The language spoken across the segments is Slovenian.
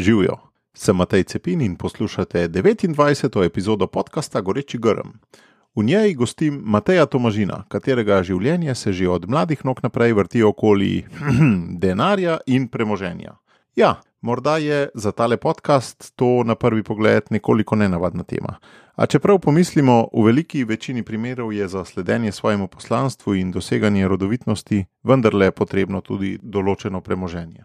Živijo, sem Matej Cepin in poslušate 29. epizodo podcasta Goreči grm. V njej gostim Mateja Tomažina, katerega življenje se že od mladih nog naprej vrti okoli denarja in premoženja. Ja, morda je za tale podcast to na prvi pogled nekoliko nenavadna tema. A čeprav pomislimo, v veliki večini primerov je za sledenje svojemu poslanstvu in doseganje rodovitnosti vendarle potrebno tudi določeno premoženje.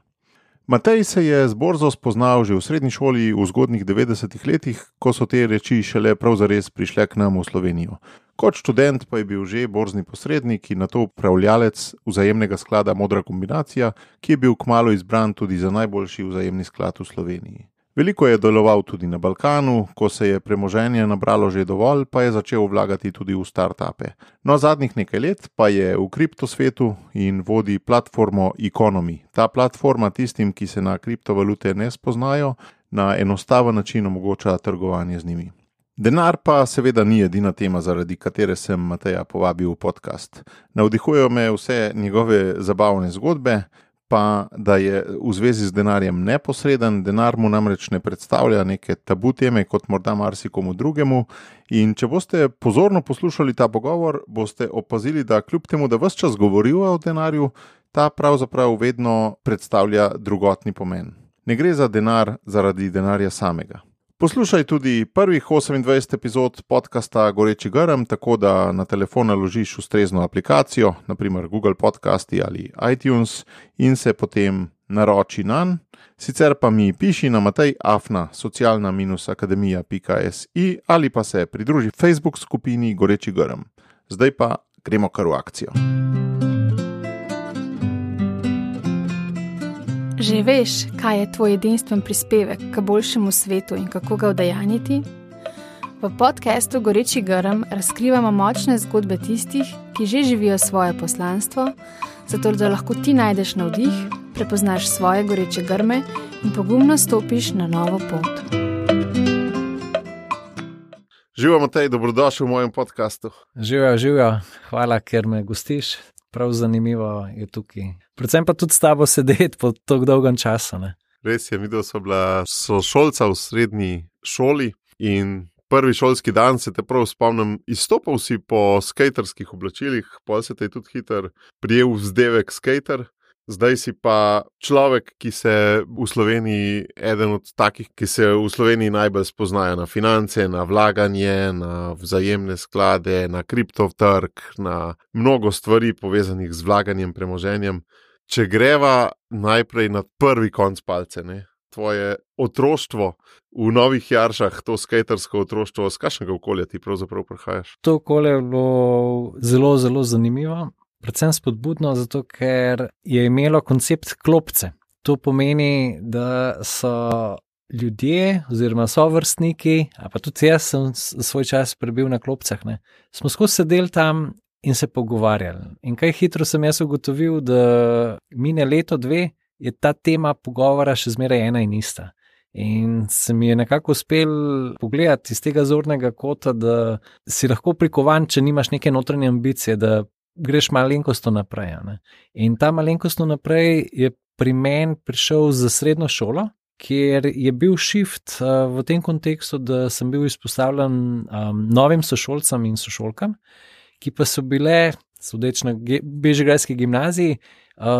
Matej se je z borzo spoznal že v srednji šoli v zgodnjih 90-ih letih, ko so te reči šele prav zares prišle k nam v Slovenijo. Kot študent pa je bil že borzni posrednik in nato upravljalec vzajemnega sklada Modra kombinacija, ki je bil kmalu izbran tudi za najboljši vzajemni sklad v Sloveniji. Veliko je deloval tudi na Balkanu, ko se je premoženje nabralo že dovolj, pa je začel vlagati tudi v startupe. No, zadnjih nekaj let pa je v kriptosvetu in vodi platformo Economy. Ta platforma tistim, ki se na kriptovalute ne spoznajo, na enostaven način omogoča trgovanje z njimi. Denar pa seveda ni edina tema, zaradi katere sem Mateja povabil v podcast. Navdihujejo me vse njegove zabavne zgodbe, pa da je v zvezi z denarjem neposreden, denar mu namreč ne predstavlja neke tabu teme kot morda marsikomu drugemu, in če boste pozorno poslušali ta pogovor, boste opazili, da kljub temu, da ves čas govorijo o denarju, ta pravzaprav vedno predstavlja drugotni pomen. Ne gre za denar zaradi denarja samega. Poslušaj tudi prvih 28 epizod podcasta Goreči grm, tako da na telefon naložiš ustrezno aplikacijo, naprimer Google Podcasti ali iTunes, in se potem naroči nanj. Sicer pa mi piši na matej@socialna-akademija.si ali pa se pridruži Facebook skupini Goreči grm. Zdaj pa gremo kar v akcijo. Že veš, kaj je tvoj edinstven prispevek k boljšemu svetu in kako ga udejanjiti? V podcastu Goreči grm razkrivamo močne zgodbe tistih, ki že živijo svoje poslanstvo, zato da lahko ti najdeš navdih, prepoznaš svoje goreče grme in pogumno stopiš na novo pot. Živijo, Matej, dobrodošel v mojem podcastu. Živijo, hvala, ker me gostiš. Prav zanimivo je tukaj. Predvsem pa tudi s tabo sedeti po tako dolgem času. Ne? Res je, midva sva bila sošolca v srednji šoli in prvi šolski dan se te prav spomnim, izstopal si po skaterskih oblačilih, potem se te je tudi hiter prijel vzdevek skater. Zdaj si pa človek, ki se v Sloveniji, eden od takih, ki se v Sloveniji najbolj spoznajo na finance, na vlaganje, na vzajemne sklade, na kriptotrg, na mnogo stvari povezanih z vlaganjem, premoženjem. Če greva najprej na prvi konc palce, ne? Tvoje otroštvo v Novih Jaršah, to skatersko otroštvo, z kakšnega okolja ti pravzaprav prihajaš? To okolje je bilo zelo, zelo zanimivo. Predvsem spodbudno, zato ker je imelo koncept klopce. To pomeni, da so ljudje oziroma sovrstniki, a pa tudi jaz sem svoj čas prebil na klopcah, ne, smo skozi sedeli tam in se pogovarjali. In kaj hitro sem jaz ugotovil, da mine leto, dve, je ta tema pogovora še zmeraj ena in ista. In se mi je nekako uspel pogledati iz tega zornega kota, da si lahko prikovan, če nimaš neke notranje ambicije, da greš malenkostno naprej. Ne? In ta malenkostno naprej je pri meni prišel za srednjo šolo, kjer je bil shift v tem kontekstu, da sem bil izpostavljen novim sošolcem in sošolkam, ki pa so bile, sodeč na Bežigrajski gimnaziji,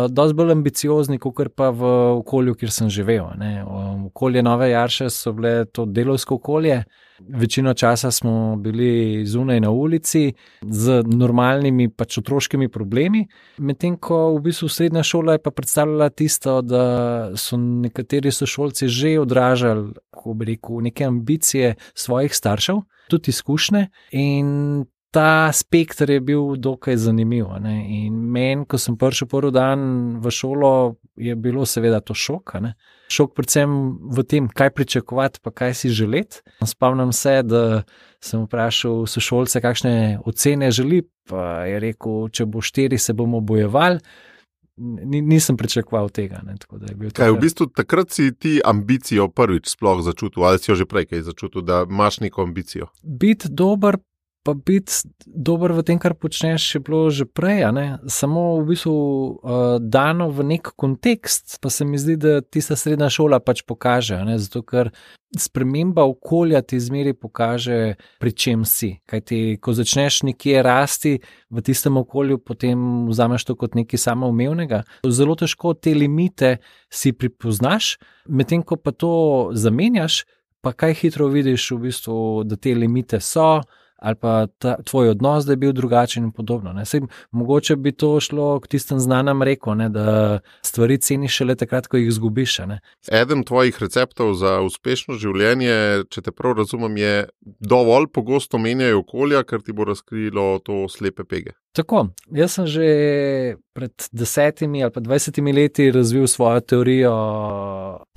dosti bolj ambiciozni, kakor pa v okolju, kjer sem živel. Ne. Okolje Nove Jarše so bile to delovsko okolje. Večino časa smo bili zunaj na ulici z normalnimi pač otroškimi problemi, medtem ko v bistvu srednja šola je pa predstavljala tisto, da so nekateri sošolci že odražali, kako bi rekel, neke ambicije svojih staršev, tudi izkušnje, in ta spektr je bil dokaj zanimiv. Ne? In meni, ko sem prišel prvi dan v šolo, je bilo seveda to šok. Ne? Šok predvsem v tem, kaj pričakovati, pa kaj si želeti. Spomnim se, da sem vprašal sošolce, kakšne ocene želi, pa je rekel, če bo 4, se bomo bojevali. Nisem pričakoval tega. Ne? Tako da je bil kaj, v bistvu takrat si ti ambicijo prvič sploh začutil, ali si jo že prej kaj začutil, da imaš neko ambicijo? Biti dober pa biti dober v tem, kar počneš, je bilo že prej, samo v bistvu dano v nek kontekst, pa se mi zdi, da tista srednja šola pač pokaže, zato ker sprememba okolja ti zmeri pokaže, pri čem si. Kajti, ko začneš nekje rasti v tistem okolju, potem vzameš to kot nekaj samoumevnega. Zelo težko te limite si pripoznaš, medtem ko pa to zamenjaš, pa kaj hitro vidiš v bistvu, da te limite so, ali pa tvoj odnos, da je bil drugačen in podobno. Mogoče bi to šlo k tistem znanem reku, da stvari ceniš šele takrat, ko jih izgubiš. Eden tvojih receptov za uspešno življenje, če te prav razumem, je dovolj pogosto menjaj okolja, ker ti bo razkrilo to slepe pege. Tako, jaz sem že pred 10 ali pa 20 leti razvil svojo teorijo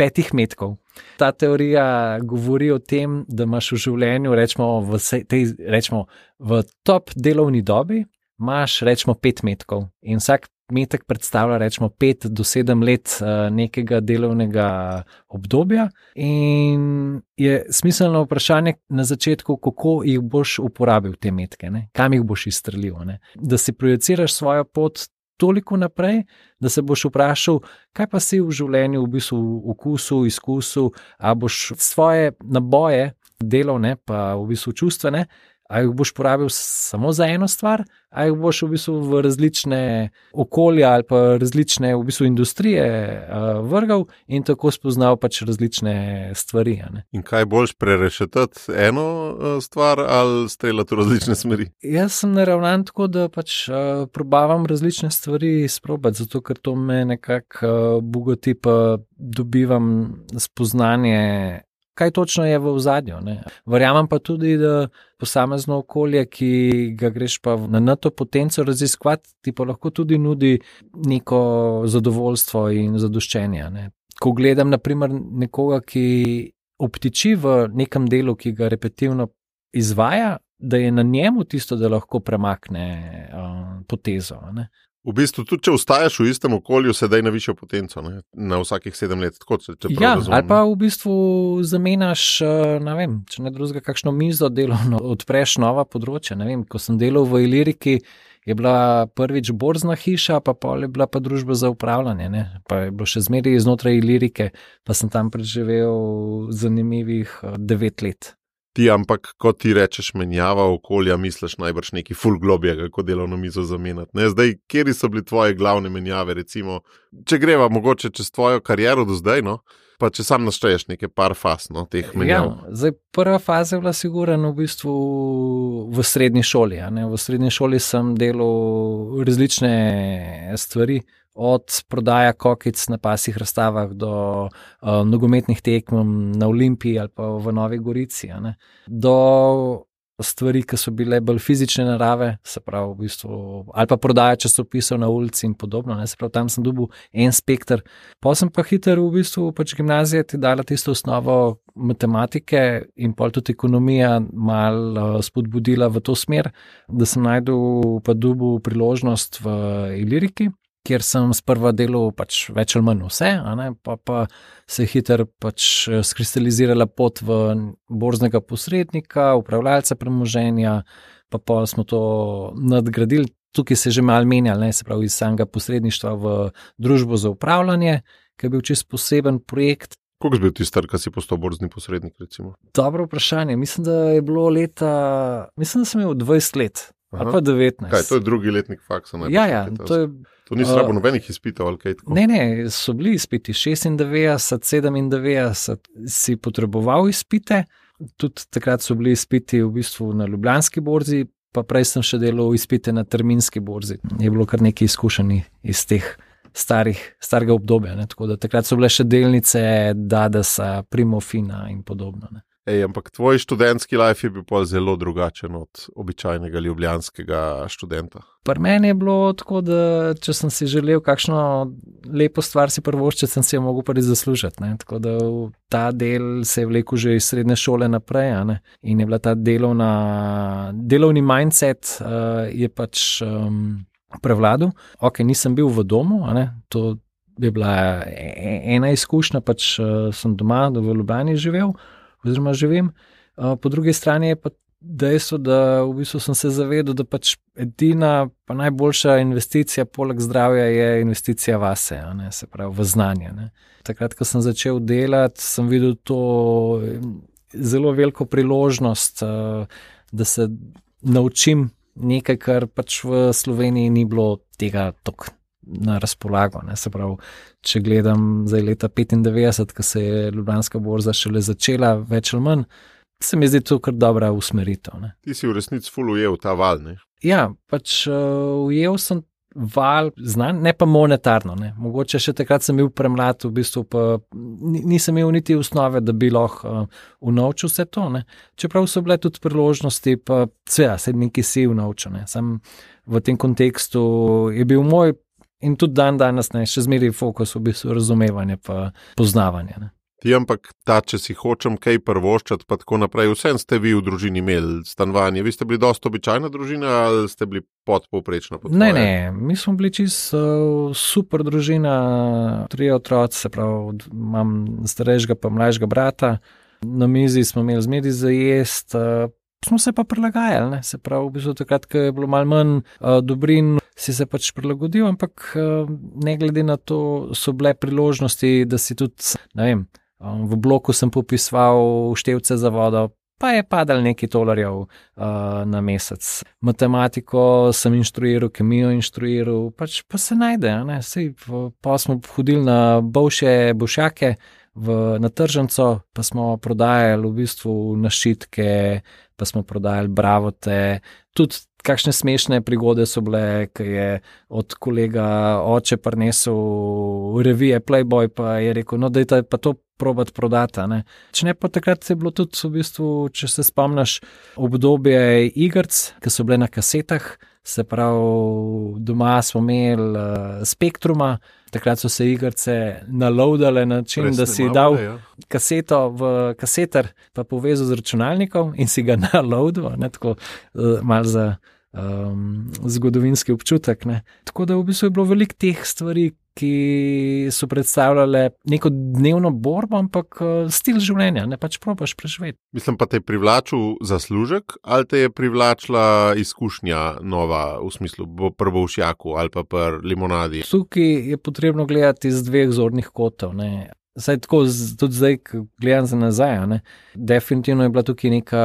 5 metkov. Ta teorija govori o tem, da imaš v življenju, rečemo v top delovni dobi, imaš rečemo 5 metkov in vsak metek predstavlja rečemo 5 do 7 let nekega delovnega obdobja in je smiselno vprašanje na začetku, kako jih boš uporabil te metke, kam jih boš izstrelil, da si projiciraš svojo pot toliko naprej, da se boš vprašal, kaj pa si v življenju v bistvu okusil, izkusil, a boš svoje naboje delovne, pa v bistvu čustvene, a jih boš porabil samo za eno stvar, a jih boš v bistvu v različne okolja ali pa različne v bistvu industrije vrgal in tako spoznal pač različne stvari. In kaj boljš prerešetati eno stvar ali streljati v različne smeri? Jaz sem naravnan tako, da pač probavam različne stvari sprobati, zato ker to me nekako bogati, pa dobivam spoznanje, kaj točno je v ozadju. Verjamem pa tudi, da posamezno okolje, ki ga greš pa na to potenco raziskovati, ti pa lahko tudi nudi neko zadovoljstvo in zadoščenje. Ko gledam naprimer nekoga, ki obtiči v nekem delu, ki ga repetitivno izvaja, da je na njemu tisto, da lahko premakne potezo. V bistvu, tudi če ostajaš v istem okolju, se daj na višjo potenco, na vsakih 7 let. Ali pa v bistvu zamenjaš, če ne drugega, kakšno mizo delovno, odpreš nova področja. Ko sem delal v Iliriki, je bila prvič borzna hiša, pa pol je bila pa družba za upravljanje. Pa je bilo še zmeraj znotraj Ilirike, pa sem tam preživel zanimivih 9 let. Ampak, ko ti rečeš menjava okolja, misliš najbrž neki ful globje, kako delovno mizo zamenjati. Zdaj, kjeri so bili tvoje glavne menjave, recimo, če greva mogoče čez tvojo kariero do zdaj, pa če sam našteješ nekaj par faz, teh menjav. Zdaj, prva faza je bila sigurno v bistvu v srednji šoli. V srednji šoli sem delal različne stvari, od prodaja kokic na pasjih razstavah do nogometnih tekm na Olimpiji ali pa v Novi Gorici, do stvari, ki so bile bolj fizične narave, se pravi v bistvu, ali pa prodaja časopisov na ulici in podobno, se pravi, tam sem dobil en spekter. Pa sem pa hitro v bistvu pač gimnazija ti dala tisto osnovo matematike in pol tudi ekonomija malo spodbudila v to smer, da sem najdel pa dobil priložnost v Iliriki, kjer sem sprva delal pač več ali manj vse, pa se je hitro pač skristalizirala pot v borznega posrednika, upravljalca premoženja, pa smo to nadgradili. Tukaj se je že malo menjalo, se pravi iz samega posredništva v družbo za upravljanje, ki je bil čisto poseben projekt. Koliko si bil ti star, ko si postal borzni posrednik, recimo? Dobro vprašanje. Mislim, da je bilo mislim, da sem imel 20 let. Ali pa 19. Kaj, to je drugi letnik faksa? Ja, to ni slabo nobenih izpitov ali kaj tako? Ne, so bili izpiti. 96, 97 si potreboval izpite. Tudi takrat so bili izpiti v bistvu na Ljubljanski borzi, pa prej sem še delal izpite na terminski borzi. Je bilo kar nekaj izkušenj iz teh starega obdobja. Tako da takrat so bile še delnice Dadasa, Primofina in podobno. Ampak tvoj študentski life je bil pa zelo drugačen od običajnega ljubljanskega študenta. Pri meni je bilo tako, da če sem si želel kakšno lepo stvar si privoščiti, sem si jo mogel prvi zaslužiti. Tako da ta del se je vlekel že iz srednje šole naprej, in je bila ta delovni mindset je pač prevladal. Nisem bil v domu, to je bila ena izkušnja, pač sem doma v Ljubljani živel, oziroma živim. Po drugi strani je pa dejstvo, da v bistvu sem se zavedal, da pač edina pa najboljša investicija poleg zdravja je investicija vase, se pravi v znanje. Ne. Takrat, ko sem začel delati, sem videl to zelo veliko priložnost, da se naučim nekaj, kar pač v Sloveniji ni bilo tega toliko na razpolago. Ne. Se pravi, če gledam zdaj leta 95, ko se je Ljubljanska borza šele začela, več ali manj, se mi zdi to kar dobra usmeritev. Ne. Ti si v resnici ful ujel ta val, ne? Ja, pač ujel sem val znan, ne pa monetarno. Ne. Mogoče še takrat sem bil premlad, v bistvu pa nisem imel niti osnove, da bi lahko unovčil vse to. Ne. Čeprav so bile tudi priložnosti, pa se nekaj si unovčil. Ne. Sam v tem kontekstu je bil moj in tudi danes ne, še zmeraj fokus v bistvu razumevanje pa poznavanje. Ne. Ti ampak če si hočem kaj prvoščati, pa tako naprej, vsem ste vi v družini imeli stanovanje. Vi ste bili dosti običajna družina ali ste bili podpovprečna? Ne, mi smo bili čisto super družina, 3 otroci, se pravi, imam starejšega pa mlajšega brata, na mizi smo imeli zmeri za jest, smo se pa prilagajali, ne? Se pravi, v bistvu takrat, ko je bilo malo manj dobrin, si se pač prilagodil, ampak ne glede na to so bile priložnosti, da si tudi, ne vem, v bloku sem popisoval števce za vodo, pa je padal nekaj $, na mesec. Matematiko sem inštruiral, kemijo inštruiral, pač pa se najde, ne? Sej, pa smo hodili na bovše bošjake na tržnico, pa smo prodajali v bistvu našitke, pa smo prodajali bravote, tudi kakšne smešne prigode so bile, ki je od kolega oče prinesel revije Playboy, pa je rekel, no dajte pa to probati prodati. Ne. Če ne, pa takrat je bilo tudi v bistvu, če se spomniš, obdobje igrc, ki so bile na kasetah, se pravi, doma smo imeli Spektruma, takrat so se igrce naloadale na način, da si dal kaseto v kaseter, pa povezal z računalnikom in si ga naloadal, ne, tako malo za zgodovinski občutek. Ne. Tako da v bistvu je bilo veliko teh stvari, ki so predstavljale neko dnevno borbo, ampak stil življenja, ne, pač probaš preživeti. Mislim, pa te je privlačil zaslužek ali te je privlačila izkušnja nova, v smislu pri Bolšjaku ali pa pri limonadi? Tukaj je potrebno gledati iz 2 zornih kotov, ne. Saj tako, tudi zdaj, ko gledam za nazaj, ne, definitivno je bila tukaj neka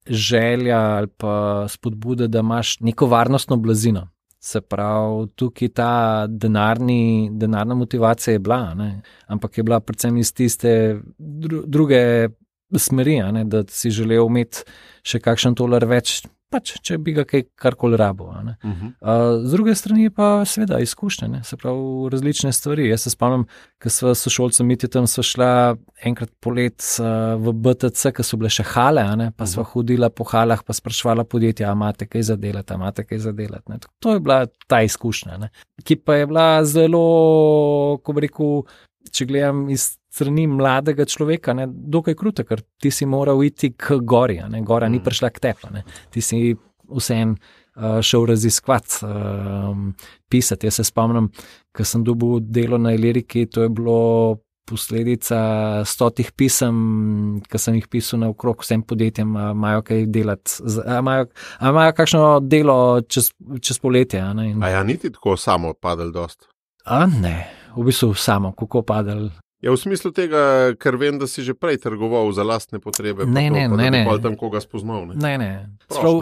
želja ali pa spodbuda, da imaš neko varnostno blazino. Se pravi, tukaj ta denarna motivacija je bila, ne? Ampak je bila predvsem iz tiste druge smeri, ne? Da si želel imeti še kakšen $, več, pač, če bi ga karkoli rabo. Z druge strani pa seveda izkušnje, ne? Se pravi, različne stvari. Jaz se spomnim, ko sva s sošolcem tam sva šla enkrat polet v BTC, ko so bile še hale, ne? Pa sva hodila po halah, pa sprašvala podjetja, imate kaj za delati, ne? To je bila ta izkušnja, ne? Ki pa je bila zelo, ko bi rekel, če gledam iz strani mladega človeka, ne, dokaj kruta, ker ti si moral iti k gori, ne, gora ni prišla k tebi, ne, ti si vsem šel raziskovati, pisati. Jaz se spomnim, ko sem dobil delo na Iliriki, to je bilo posledica 100 pisem, ki sem jih pisal naokrog vsem podjetjem, imajo kaj delati, imajo kakšno delo čez poletje. Ne, in... A ja, niti tako samo padel dost? Ne, v bistvu samo, kako padel. Ja, v smislu tega, ker vem, da si že prej trgoval za lastne potrebe, ne. Da bi pa tam koga spoznal. Ne.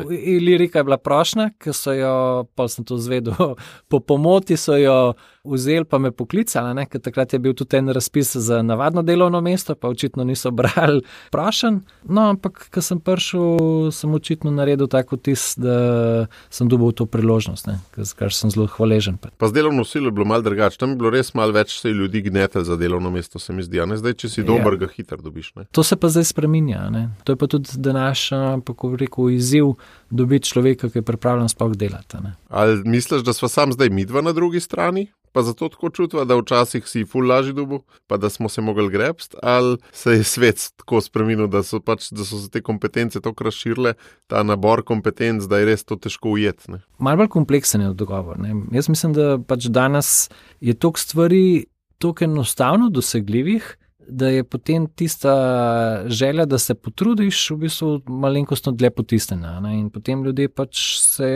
Ilirika je bila prošnja, ker so jo, pa sem to zvedel, po pomoti so jo vzeli, pa me poklicali, ne, ker takrat je bil tudi en razpis za navadno delovno mesto, pa očitno niso brali prošenj. No, ampak, ko sem prišel, sem očitno naredil tako vtis, da sem dobil to priložnost, ne, kar sem zelo hvaležen. Pa z delovno silo je bilo malo drugače, tam je bilo res malo več se ljudi gnetel za delovno mesto, se mi zdi, a ne, zdaj, če si dober, ga hitro dobiš, ne. To se pa zdaj spreminja, ne. To je pa tudi današnja, pa ko rekel, izziv dobiti človeka, ki je pripravljen sploh delati, ne. Ali misliš, da sva sam zdaj midva na drugi strani? Pa zato tako čutva, da včasih si ful lažji dobil, pa da smo se mogli grebst, ali se je svet tako spremenil, da so se te kompetence tako razširile, ta nabor kompetenc, da je res to težko ujeti, ne? Malo bolj kompleksen je odgovor, ne. Jaz mislim, da pač danes je toliko stvari toliko enostavno dosegljivih, da je potem tista želja, da se potrudiš, v bistvu malenkostno dlje potisnjena. In potem ljudje pač se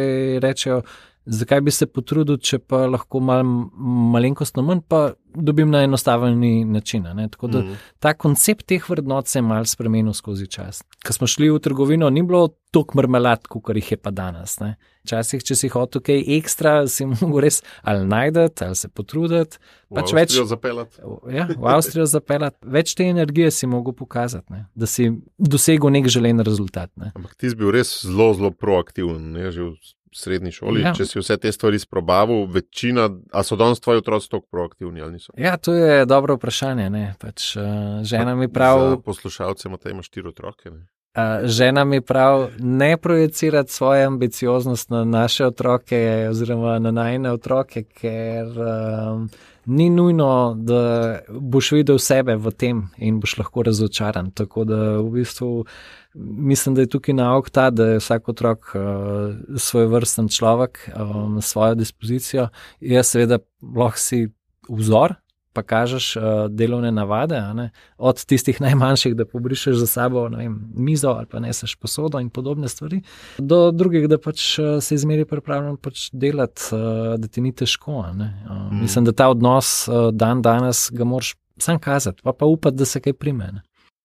rečejo, zakaj bi se potrudil, če pa lahko malenkostno manj, pa dobim na enostavni način. Tako da ta koncept teh vrednot se je malo spremenil skozi čas. Ko smo šli v trgovino, ni bilo toliko marmelad, kot jih je pa danes. Včasih, če si hotel kaj ekstra, si mogel res ali najdeti, ali se potruditi. V Avstrijo zapeljati. Ja, v Avstrijo zapeljati. Več te energije si mogel pokazati, da si dosegel nek želen rezultat. Ampak ti si bil res zelo, zelo proaktiven, že v srednji šoli, če si vse te stvari sprobavil, večina, a so danes tvoji otroci toliko proaktivni ali niso? Ja, to je dobro vprašanje, pač žena mi prav... Za poslušalce ima 4 otroke, žena mi prav ne projecirati svojo ambicioznost na naše otroke oziroma na najine otroke, ker ni nujno, da boš videl sebe v tem in boš lahko razočaran. Tako da v bistvu mislim, da je tukaj nauk ta, da je vsak otrok svojevrsten človek, svojo dispozicijo. Jaz seveda lahko si vzor, pa kažeš delovne navade, od tistih najmanjših, da pobrišeš za sabo mizo ali pa neseš posodo in podobne stvari, do drugih, da pač se izmeri pripravljen pač delati, da ti ni težko. Mislim, da ta odnos danes ga moraš sam kazati, pa upati, da se kaj prime.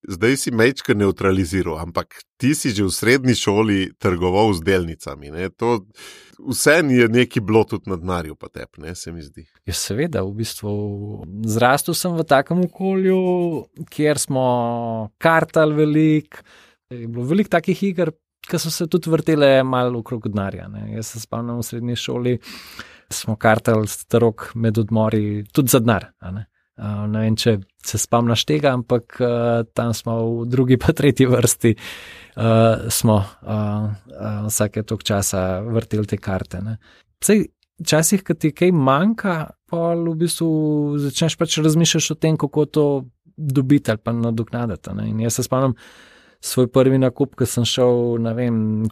Zdaj si mečka neutraliziral, ampak ti si že v srednji šoli trgoval z delnicami. To vse je neki bilo tudi na denarju pa tep, se mi zdi. Ja, seveda, v bistvu zrastel sem v takem okolju, kjer smo kartali veliko. Je bilo veliko takih iger, ki so se tudi vrtele malo okrog denarja. Jaz se spomnim v srednji šoli, smo kartali starok med odmori tudi za denar. Ne vem, če se spomniš tega, ampak tam smo v drugi pa tretji vrsti smo vsake toliko časa vrteli te karte. Včasih, ko ti kaj manjka, pa v bistvu začneš pač razmišljati o tem, kako to dobiti ali pa nadoknaditi. In jaz se spomnim svoj prvi nakup, ko sem šel,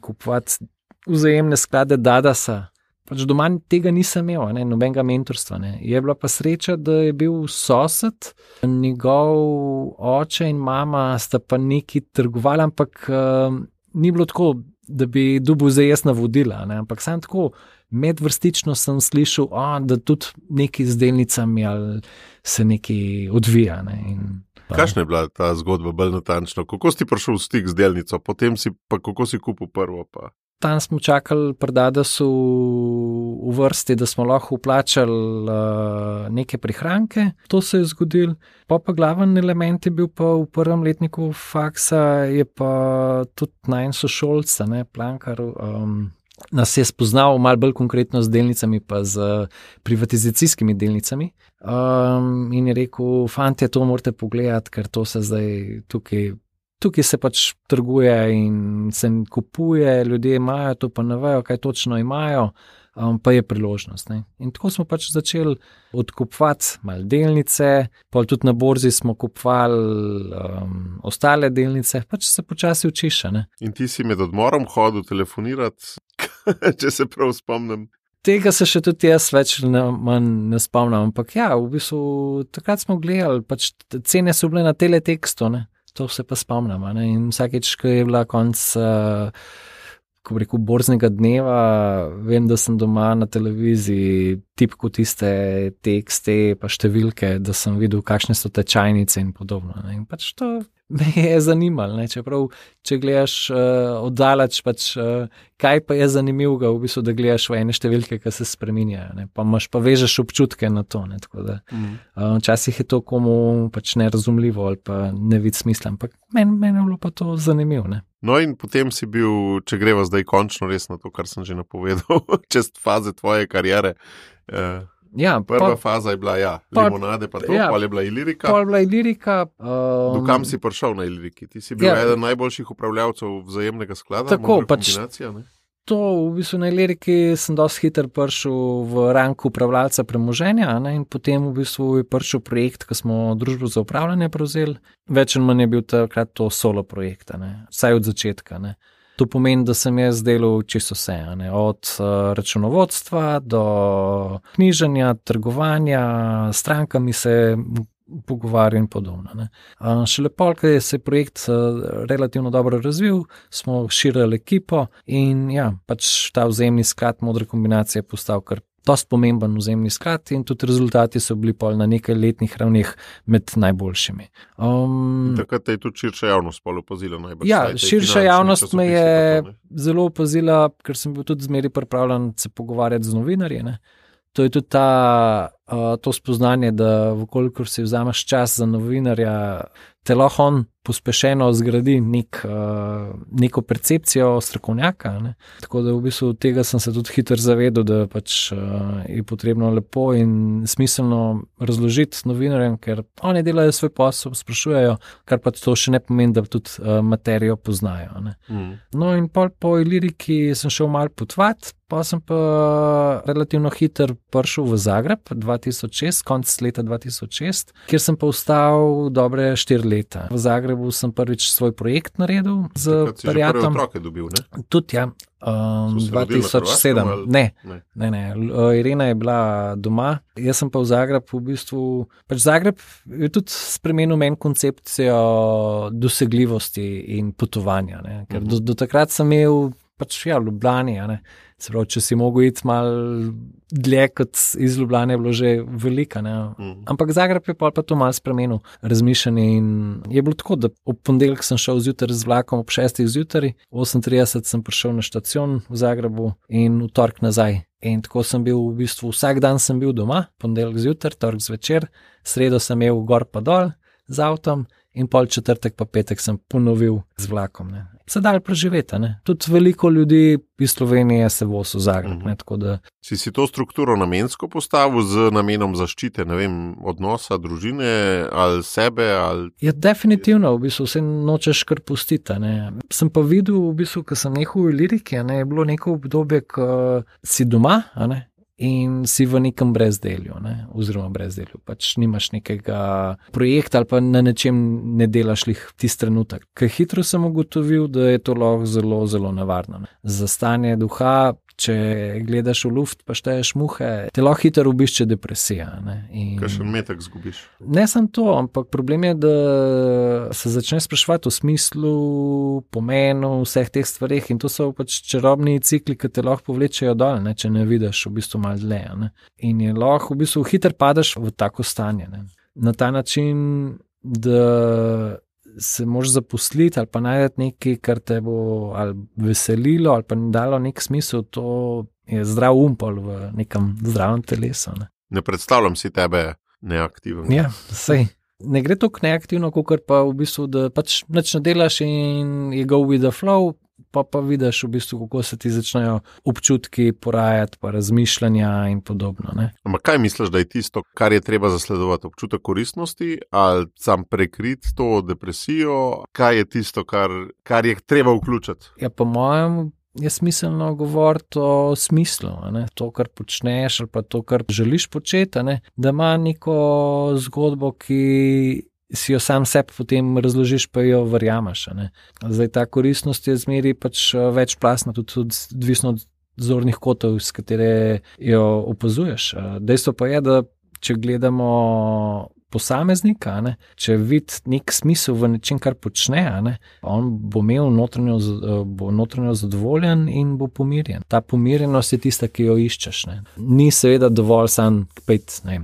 kupovati vzajemne sklade Dadasa. Pač doma tega nisem imel, nobenega mentorstva. Je bila pa sreča, da je bil sosed, njegov oče in mama sta pa neki trgovali, ampak ni bilo tako, da bi dobil zdaj jaz navodila, ampak sam tako medvrstično sem slišal, da tudi neki z delnicami ali se neki odvija. Kakšna je bila ta zgodba bolj natančno? Kako si prišel v stik z delnico, potem si pa kako si kupil prvo pa? Tam smo čakali pri Dadasu v vrsti, da smo lahko vplačali neke prihranke. To se je zgodilo. Pa glaven element je bil pa v prvem letniku faksa, je pa tudi najn sošolca, Plankar, nas je spoznal malo bolj konkretno z delnicami pa z privatizacijskimi delnicami. In je rekel, fantje, to morate pogledati, ker to se zdaj tukaj se pač trguje in se kupuje, ljudje imajo to, pa ne vejo, kaj točno imajo, pa je priložnost. In tako smo pač začeli odkupovati malo delnice, pa tudi na borzi smo kupovali ostale delnice, pač se počasi učiš. In ti si med odmorom hodil telefonirati, če se prav spomnim? Tega se še tudi jaz več ne spomnim, ampak ja, v bistvu takrat smo gledali, pač cene so bile na teletekstu, to se pa spomnim. In vsakeč, ko je bila konc, ko bi rekel, borznega dneva, vem, da sem doma na televiziji tipko tiste tekste pa številke, da sem videl, kakšne so tečajnice in podobno. In pač to me je zanimalo. Čeprav, če gledaš oddaleč, pač kaj pa je zanimivega, v bistvu, da gledaš v ene številke, ki se spreminjajo. Pa imaš pa vežeš občutke na to. Tako da včasih je to komu pač nerazumljivo ali pa ne vid smisla, ampak meni je bilo pa to zanimivo. No in potem si bil, če greva zdaj končno res na to, kar sem že napovedal, čez faze tvoje kariere. Prva faza je bila, limonade, pa to, pol je bila Ilirika. Pol je bila Ilirika. Dokam si prišel na Iliriki? Ti si bil eden najboljših upravljavcev vzajemnega sklada? Tako, pač to, v bistvu na Iliriki sem dosti hitro prišel v rang upravljalca premoženja, in potem v bistvu je prišel projekt, ko smo družbo za upravljanje prevzeli. Več in manj je bil takrat to solo projekt, vsaj od začetka. To pomeni, da sem jaz delal čisto vse, od računovodstva do knjiženja, trgovanja, strankami se pogovarjal in podobno. Ne. Šele pol, ko se je projekt relativno dobro razvil, smo širili ekipo in ja, pač ta vzajemni sklad Modra kombinacija je postal kar dosti pomemben vzajemni sklad in tudi rezultati so bili pol na nekaj letnih ravneh med najboljšimi. Takrat je tudi širša javnost pol opazila najbolj. Ja, širša javnost me je zelo opazila, ker sem bil tudi zmeri pripravljen se pogovarjati z novinarji. Ne. To je tudi to spoznanje, da vkolikor si vzameš čas za novinarja, te lahko on pospešeno zgradi neko percepcijo strokovnjaka. Ne. Tako da v bistvu tega sem se tudi hitro zavedel, da pač je potrebno lepo in smiselno razložiti novinarjem, ker oni delajo svoj posel, sprašujejo, kar pa to še ne pomeni, da tudi materijo poznajo. Ne. No in po Iliriki sem šel malo potovati, pa sem pa relativno hitro prišel v Zagreb 2006, konec leta 2006, kjer sem pa ostal dobre 4 leta. V Zagrebu sem prvič svoj projekt naredil z prijateljem. Takrat si že prve otroke dobil, ne? Tudi, ja. 2007. Ne. Irena je bila doma, jaz sem pa v Zagreb v bistvu. Pač Zagreb je tudi spremenil meni koncepcijo dosegljivosti in potovanja, ne? Ker do takrat sem imel pač v Ljubljani, ne? Se pravi, če si mogel iti malo dlje kot iz Ljubljane, je bilo že velika. Ampak Zagreb je pa to malo spremenil razmišljanje in je bilo tako, da ob ponedeljek sem šel zjutraj z vlakom ob 6. zjutraj, 8:30 sem prišel na štacion v Zagrebu in v torek nazaj. In tako sem bil v bistvu, vsak dan sem bil doma, ponedeljek zjutraj, torek zvečer, sredo sem imel gor pa dol z avtom in pol četrtek pa petek sem ponovil z vlakom. Ne. Se dal preživeti, ne. Tudi veliko ljudi iz Slovenije se vozi v Zagreb. Ne, tako da. Si to strukturo namensko postavil z namenom zaščite, ne vem, odnosa, družine ali sebe? Ali... Ja, definitivno, v bistvu se nočeš kar pustiti. Ne. Sem pa videl, v bistvu, ko sem nehal v Iliriki, ne, je bilo neko obdobje, ko si doma, ne, in si v nekem brezdelju, ne, oziroma brezdelju. Pač nimaš nekega projekta ali pa na nečem ne delaš lih tisti trenutek. Ker hitro sem ugotovil, da je to lahko zelo, zelo nevarno. Ne. Za stanje duha, če gledaš v luft pa šteješ muhe, te lahko hitro obišče depresija. Kakšen metek zgubiš? Ne samo to, ampak problem je, da se začneš spraševati o smislu, pomenu vseh teh stvareh in to so pač čarobni cikli, ki te lahko povlečejo dol, ne, če ne vidiš v bistvu malo dlje. Ne. In je lahko v bistvu hitro padeš v tako stanje. Ne. Na ta način, da se moraš zaposliti ali pa najti nekaj, kar te bo ali veselilo ali pa dalo nek smisel, to je zdrav umpol v nekem zdravem telesu. Ne predstavljam si tebe neaktivno. Ja, sej. Ne gre toliko neaktivno, kakor pa v bistvu, da pač nič ne delaš in je go with the flow, pa vidiš v bistvu, kako se ti začnejo občutki porajati, pa razmišljanja in podobno. Ne? Ampak kaj misliš, da je tisto, kar je treba zasledovati? Občutek koristnosti ali sam prekriti to depresijo? Kaj je tisto, kar je treba vključiti? Ja, po mojem je smiselno govoriti o smislu. Ne? To, kar počneš ali pa to, kar želiš početi, ne? Da ima neko zgodbo, ki si jo sam sebi potem razložiš, pa jo verjameš. Zdaj ta koristnost je zmeri pač večplastna, tudi odvisno od zornih kotov, s katere jo opazuješ. Dejstvo pa je, da če gledamo posameznika, ne, če vidi nek smisel v nečem, kar počne, ne, on bo imel notranjo zadovoljen in bo pomirjen. Ta pomirjenost je tista, ki jo iščeš. Ne. Ni seveda dovolj sam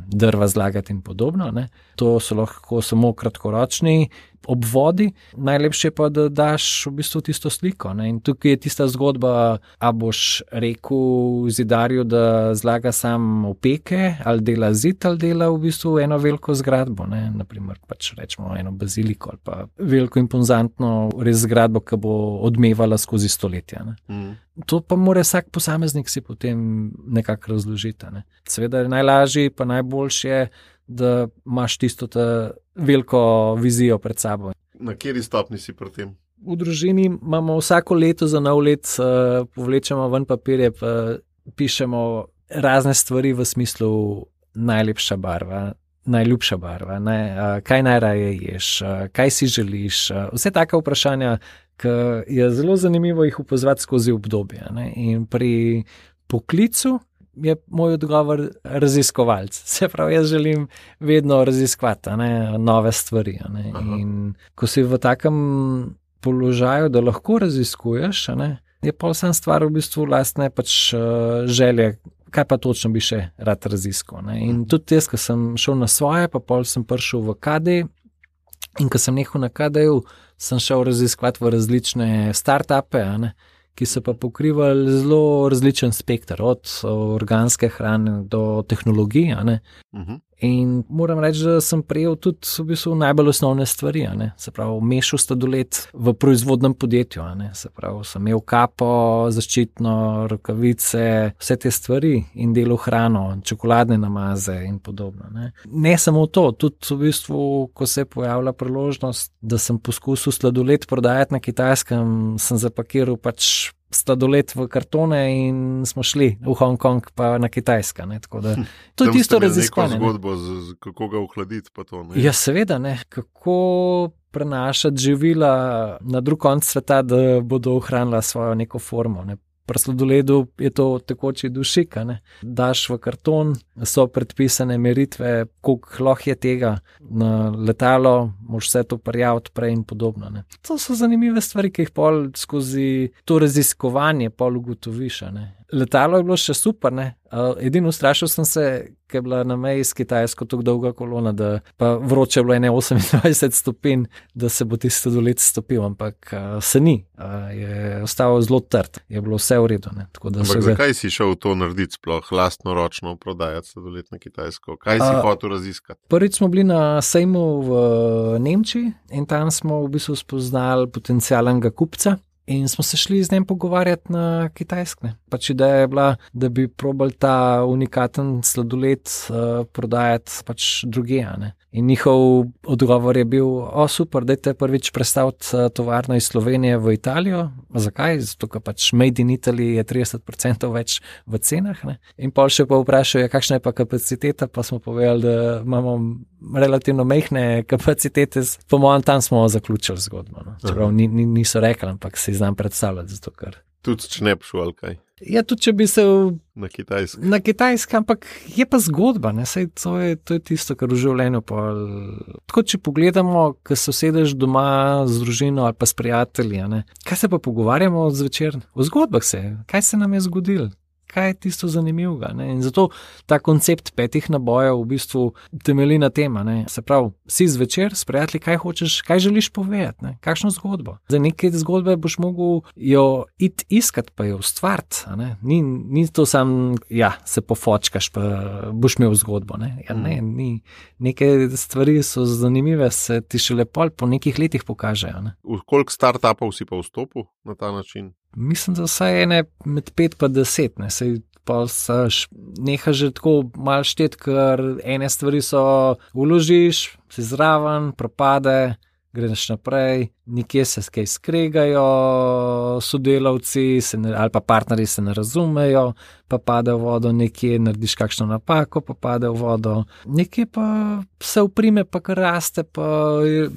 drva zlagati in podobno. Ne. To so lahko samo kratkoročni obvodi, najlepše pa, da daš v bistvu tisto sliko. Ne. In tukaj je tista zgodba, a boš rekel zidarju, da zlaga sam opeke, ali dela zid, ali dela v bistvu eno veliko zgradbo. Ne. Naprimer, pač rečemo eno baziliko ali pa veliko impozantno res zgradbo, ki bo odmevala skozi stoletja. Ne. To pa mora vsak posameznik si potem nekako razložiti. Ne. Seveda je najlažje pa najboljše, da imaš tisto veliko vizijo pred sabo. Na kateri stopni si pri tem? V družini imamo vsako leto za nov let, povlečemo ven papirje, pa pišemo razne stvari v smislu najlepša barva, najljubša barva, kaj najraje ješ, kaj si želiš, vse taka vprašanja, ki je zelo zanimivo jih opazovati skozi obdobje. Ne? In pri poklicu je moj odgovor raziskovalec. Se pravi, jaz želim vedno raziskovati nove stvari. In ko si v takem položaju, da lahko raziskuješ, je pa vsem stvar v bistvu lastne pač želje, kaj pa točno bi še rad raziskal. In tudi jaz, ko sem šel na svoje, pa pol sem prišel v KD in ko sem nehal na KD-ju, sem šel raziskovati v različne start-upe, ki so pa pokrivali zelo različen spekter, od organske hrane do tehnologij. In moram reči, da sem prejel tudi v bistvu najbolj osnovne stvari. Se pravi, mešal sladoled v proizvodnem podjetju. Se pravi, sem imel kapo, zaščitno, rokavice, vse te stvari in delal hrano, čokoladne namaze in podobno. Ne samo to, tudi v bistvu, ko se je pojavila priložnost, da sem poskusil sladoled prodajati na Kitajskem, sem zapakiral pač sladoled v kartone in smo šli v Hongkong pa na Kitajska. Tako da to je tisto raziskovanje. Neko zgodbo, kako ga ohladiti pa to. Ja, seveda, kako prenašati živila na drug konec sveta, da bodo ohranila svojo neko formo. Pri sladoledu je to tekoči dušik, daš v karton, so predpisane meritve, koliko lahko je tega na letalo, moš vse to prijaviti prej in podobno. To so zanimive stvari, ki jih pol skozi to raziskovanje pol ugotoviš. Letalo je bilo še super, edino ustrašil sem se, ker je bila na meji s Kitajsko tako dolga kolona, da pa vroče je bilo 28 stopinj, da se bo tisti sladoled stopil, ampak se ni, je ostal zelo trd, je bilo vse v redu. Ampak zakaj si šel to narediti sploh, lastnoročno prodajati sladoled na Kitajsko? Kaj si hotel raziskati? Prvič smo bili na sejmu v Nemčiji in tam smo v bistvu spoznali potencialnega kupca. In smo se šli z njim pogovarjati na Kitajsko. Pač ideja je bila, da bi probali ta unikaten sladoled prodajati pač drugje. In njihov odgovor je bil, super, dajte prvič prestaviti tovarno iz Slovenije v Italijo. Zakaj? Zato, ker pač Made in Italy je 30% več v cenah. In pol še pa vprašajo, kakšna je pa kapaciteta, pa smo povedali, da imamo relativno mehne kapacitete, po mojem tam smo zaključili zgodbo. Čeprav niso rekli, ampak si znam predstavljati, zato ker. Tudi če ne bi šel, ali kaj? Ja, tudi če bi se na Kitajsko. Na Kitajsko, ampak je pa zgodba, Saj to je tisto, kar v življenju pa. Tako, če pogledamo, ko se usedeš doma z družino ali pa s prijatelji, kaj se pa pogovarjamo zvečer? O zgodbah se, kaj se nam je zgodilo? Kaj je tisto zanimivega? In zato ta koncept 5 nabojev v bistvu temelji na tem. Se pravi, si zvečer s prijatelji, kaj hočeš, kaj želiš povedati, kakšno zgodbo. Za neke zgodbe boš mogel jo iti iskat, pa jo ustvariti. Ni to sam, se pofočkaš, pa boš imel zgodbo. Ni. Neke stvari so zanimive, se ti šele pol po nekih letih pokažejo. V koliko startupov si pa vstopil na ta način? Mislim, da vsaj ene med 5 pa 10, Sej pa neha že tako malo štet, ker ene stvari so vložiš, si zraven, propade, greš naprej, nekje se kaj skregajo, sodelavci ali pa partnerji se ne razumejo, pa pade v vodo, nekje narediš kakšno napako, pa pade v vodo, nekje pa se uprime, pa kar raste, pa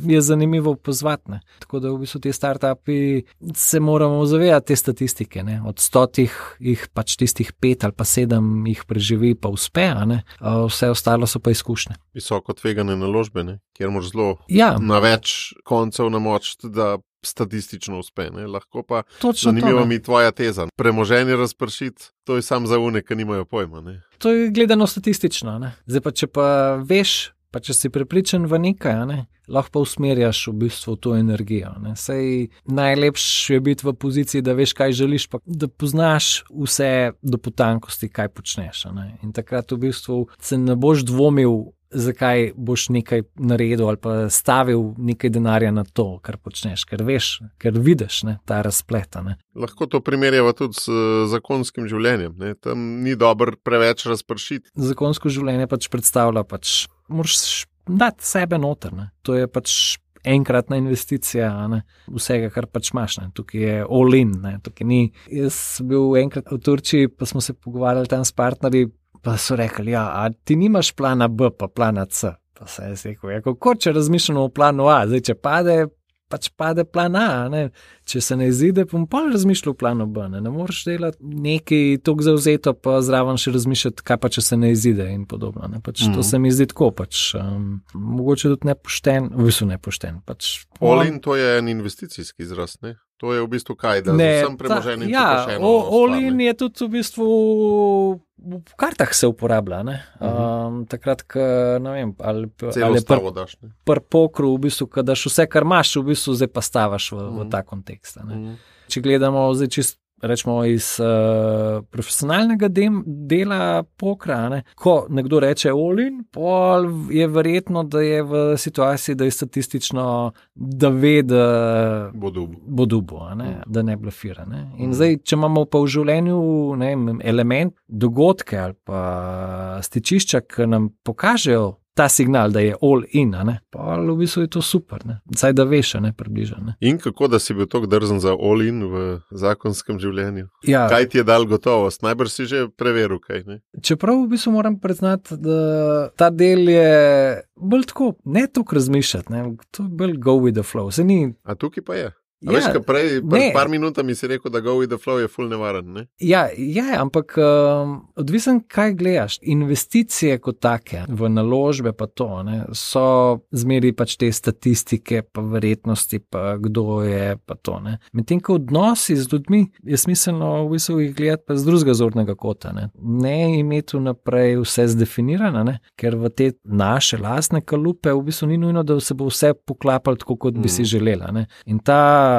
je zanimivo pozvati. Tako da v bistvu te startupi se moramo zavedati te statistike. Od 100 jih pač tistih 5 ali pa 7 jih preživi, pa uspe, vse ostalo so pa izkušnje. Visoko tvegane naložbe, kjer moraš zelo na več koncev namočiti, da statistično uspe. Lahko pa zanimivo mi tvoja teza. Premoženje razpršiti, to je sam za une, ki nimajo pojma. To je gledano statistično. Zdaj pa, če pa veš, pa če si prepričan v nekaj, lahko pa usmerjaš v bistvu to energijo. Sej najlepše je biti v poziciji, da veš, kaj želiš, pa da poznaš vse do potankosti, kaj počneš. In takrat v bistvu se ne boš dvomil, zakaj boš nekaj naredil ali pa stavil nekaj denarja na to, kar počneš, ker veš, ker vidiš ta razplet. Lahko to primerjava tudi s zakonskim življenjem. Tam ni dobro preveč razpršiti. Zakonsko življenje pač predstavlja, moraš dati sebe noter. To je pač enkratna investicija vsega, kar pač imaš. Tukaj je all in. Tukaj ni. Jaz sem bil enkrat v Turčiji, pa smo se pogovarjali tam s partnerji, pa so rekli, a ti nimaš plana B, pa plana C. Pa se je rekel, kako če razmišljamo o planu A, zdaj če pade, pač pade plan A, ne. Če se ne izide, bom pol razmišljal v planu B, ne moreš delati nekaj toliko zavzeto, pa zraven še razmišljati, kaj pa če se ne izide in podobno, ne. Pač to se mi zdi tako, pač mogoče tudi nepošten, v bistvu nepošten. Pač, all-in to je en investicijski izraz, ne? To je v bistvu kaj, da z vsem premoženjem ja, all-in je tudi v bistvu v kartah se uporablja, ne. Takrat, ko, ne vem, ali pri pokru, v bistvu, ko daš vse, kar imaš, v bistvu zdaj pa stavaš v ta kontekst, ne. Če gledamo zdaj čisto, rečemo, iz profesionalnega dela pokra, ne, ko nekdo reče all-in, pol je verjetno, da je v situaciji, da je statistično, da ve, da bo dubo, da ne blefira. Ne. In zdaj, če imamo pa v življenju element, dogodke ali pa stičišča, ki nam pokažejo ta signal, da je all in, pa v bistvu je to super, ne. Saj da veš, približa. Ne. In kako, da si bil toliko drzen za all in v zakonskem življenju? Ja. Kaj ti je dal gotovost? Najbrž si že preveril kaj, ne? Čeprav v bistvu moram priznati, da ta del je bolj tako, ne toliko razmišljati, ne. To je bolj go with the flow. A tukaj pa je? A veš, ka prej, pred par minutami si rekel, da go with the flow je ful nevaren, ne? Ja, ampak odvisen, kaj gledaš. Investicije kot take, v naložbe pa to, ne, so zmeri pač te statistike, pa verjetnosti, pa kdo je, pa to, ne. Medtem, ko odnosi z ljudmi, je smiselno v bistvu jih gledati pa z drugega zornega kota, ne. Ne imeti vnaprej vse zdefinirano, ne, ker v te naše lastne kalupe v bistvu ni nujno, da se bo vse poklapalo tako, kot bi si želela, ne. In ta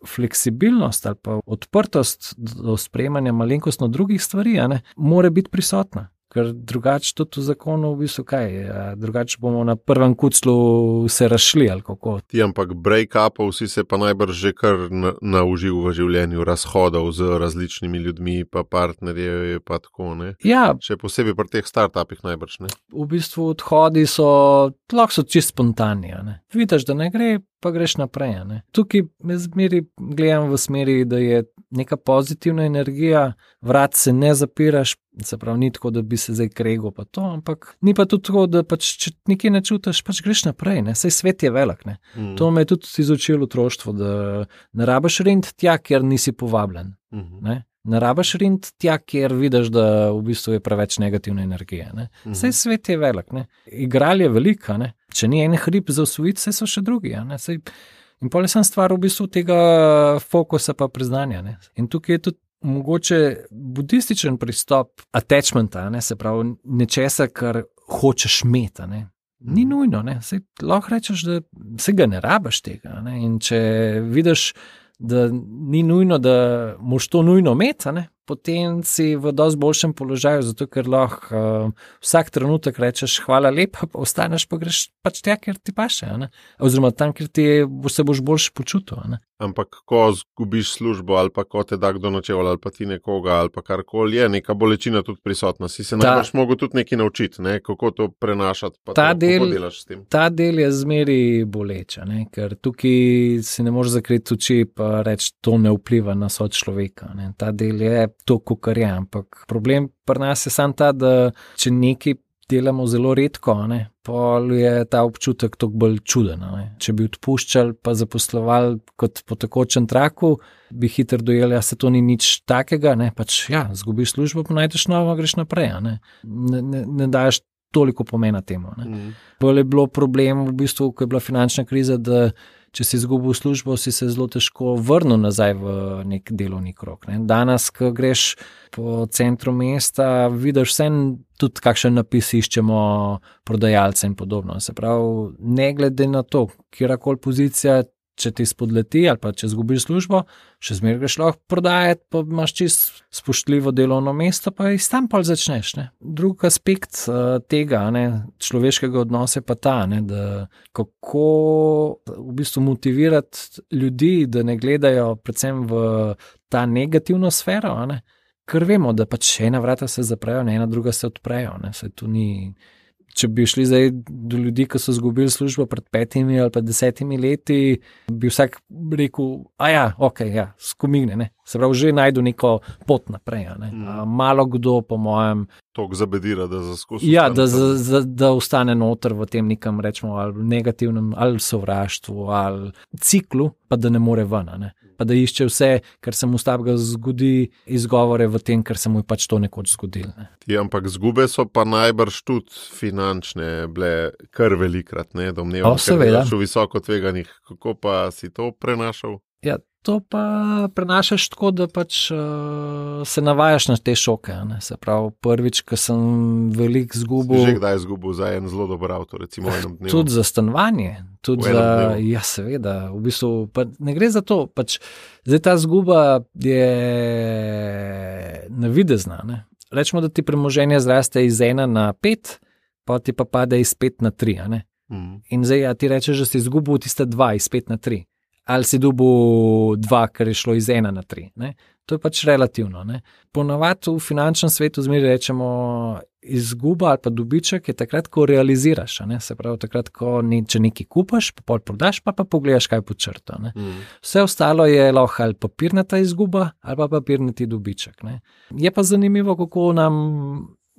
fleksibilnost ali pa odprtost do sprejemanja malenkostno drugih stvari, mora biti prisotna. Ker drugače tudi v zakonu v bistvu kaj, drugače bomo na prvem kuclu se razšli ali kako. Ti ampak break-upov si se pa najbrž že kar naužil v življenju, razhodov z različnimi ljudmi, pa partnerje, pa tako, ne? Ja. Še posebej pri teh startupih najbrž, ne? V bistvu odhodi lahko so čisto spontani, ne? Vidiš, da ne gre, pa greš naprej, ne? Tukaj me zmeri gledam v smeri, da je neka pozitivna energija, vrat se ne zapiraš, se pravi, ni tako, da bi se zdaj kregal pa to, ampak ni pa tudi tako, da pač, če nekaj ne čutiš, pač greš naprej, ne, saj svet je velik, ne. To me je tudi izučilo otroštvo, da ne rabiš rint tja, kjer nisi povabljen, ne. Ne rabiš rint tja, kjer vidiš, da v bistvu je preveč negativne energije, ne. Saj svet je velik, ne. Igral je velika, ne. Če ni en hrib za osvojiti, saj so še drugi, ne. Saj, in pol je sem stvar v bistvu tega fokusa pa priznanja, ne. In tukaj je tudi mogoče budističen pristop attachmenta, ne, se pravi nečesa, kar hočeš imeti, ne. Ni nujno, ne. Saj lahko rečeš, da se ga ne rabiš tega, ne. In če vidiš, da ni nujno, da moš to nujno imeti, ne, potem si v dosti boljšem položaju, zato ker lahko vsak trenutek rečeš hvala lepa, pa ostaneš pa greš pač tja, kjer ti paše, ne, oziroma tam, kjer se boš boljše počutil, ne. Ampak ko zgubiš službo ali pa ko te da kdo načeval ali pa ti nekoga ali pa karkoli, je neka bolečina tudi prisotna. Si se najbrž mogel tudi nekaj naučiti, ne? Kako to prenašati, pa kako delaš s tem. Ta del je zmeri boleča, ne? Ker tukaj si ne moreš zakriti oči pa reči, to ne vpliva na sočloveka, ne? Ta del je to, kakor je, ampak problem pri nas je samo ta, da če nekaj delamo zelo redko, ne, pol je ta občutek toliko bolj čuden, ne. Če bi odpuščali pa zaposlovali kot po tekočem traku, bi hitro dojeli, se to ni nič takega, ne, pač zgubiš službo, pa najdeš novo, greš naprej, ne. Ne daješ toliko pomena temu, ne. Bolj je bilo problem v bistvu, ko je bila finančna kriza, da če si izgubil službo, si se zelo težko vrnil nazaj v nek delovni krog, ne. Danes, ko greš po centru mesta, vidiš vse, tudi kakšen napis iščemo prodajalce in podobno. Se pravi, ne glede na to, kjerakoli pozicija, če ti spodleti ali pa če izgubiš službo, še zmeraj greš lahko prodajati, pa imaš čisto spoštljivo delovno mesto, pa iz tam pol začneš, ne. Drug aspekt tega, ne, človeškega odnosa je pa ta, ne, da kako v bistvu motivirati ljudi, da ne gledajo predvsem v ta negativno sfero, ne, ker vemo, da pač ena vrata se zaprejo, ena druga se odprejo, ne, saj tu ni če bi šli zdaj do ljudi, ki so izgubili službo pred 5 ali pa 10 leti, bi vsak rekel, skomigne, ne. Se pravi, že najdu neko pot naprej, ne. Malo kdo, po mojem, Tok zabedira, da zaskusi. ja, da ostane noter v tem nekem, rečemo, ali negativnem, ali sovraštvu, ali ciklu, pa da ne more ven, ne. Pa da išče vse, kar se mu slabega zgodi, izgovore v tem, kar se mu je pač to nekoč zgodilo. Ne. Ampak zgube so pa najbrž tudi finančne bile kar velikrat, ne, domnevam, ker delaš v visoko tveganih. Kako pa si to prenašal? Ja, to pa prenašaš tako, da pač se navajaš na te šoke, ne. Se pravi, prvič, ko sem veliko zgubil. Že kdaj zgubil za en zelo dober avto, recimo v enem dnevu? Tudi za stanovanje. Tudi za, ja, seveda, v bistvu, pa ne gre za to, pač zdaj ta zguba je navidezna, ne. Rečemo, da ti premoženje zraste iz 1 na 5, pa ti pa pade iz 5 na 3, a ne. In zdaj, ja, ti rečeš, da si izgubil tiste 2 iz 5 na 3. Ali si dobil 2, ker je šlo iz 1 na 3. Ne? To je pač relativno. Ne? Ponavadi v finančnem svetu zmeraj rečemo, izguba ali pa dobiček je takrat, ko realiziraš. Ne? Se pravi, takrat, ko če nekaj kupaš, pa pol prodaš, pa pogledaš, kaj pod črto. Vse ostalo je lahko ali papirnata izguba, ali pa papirnati dobiček. Ne? Je pa zanimivo, kako nam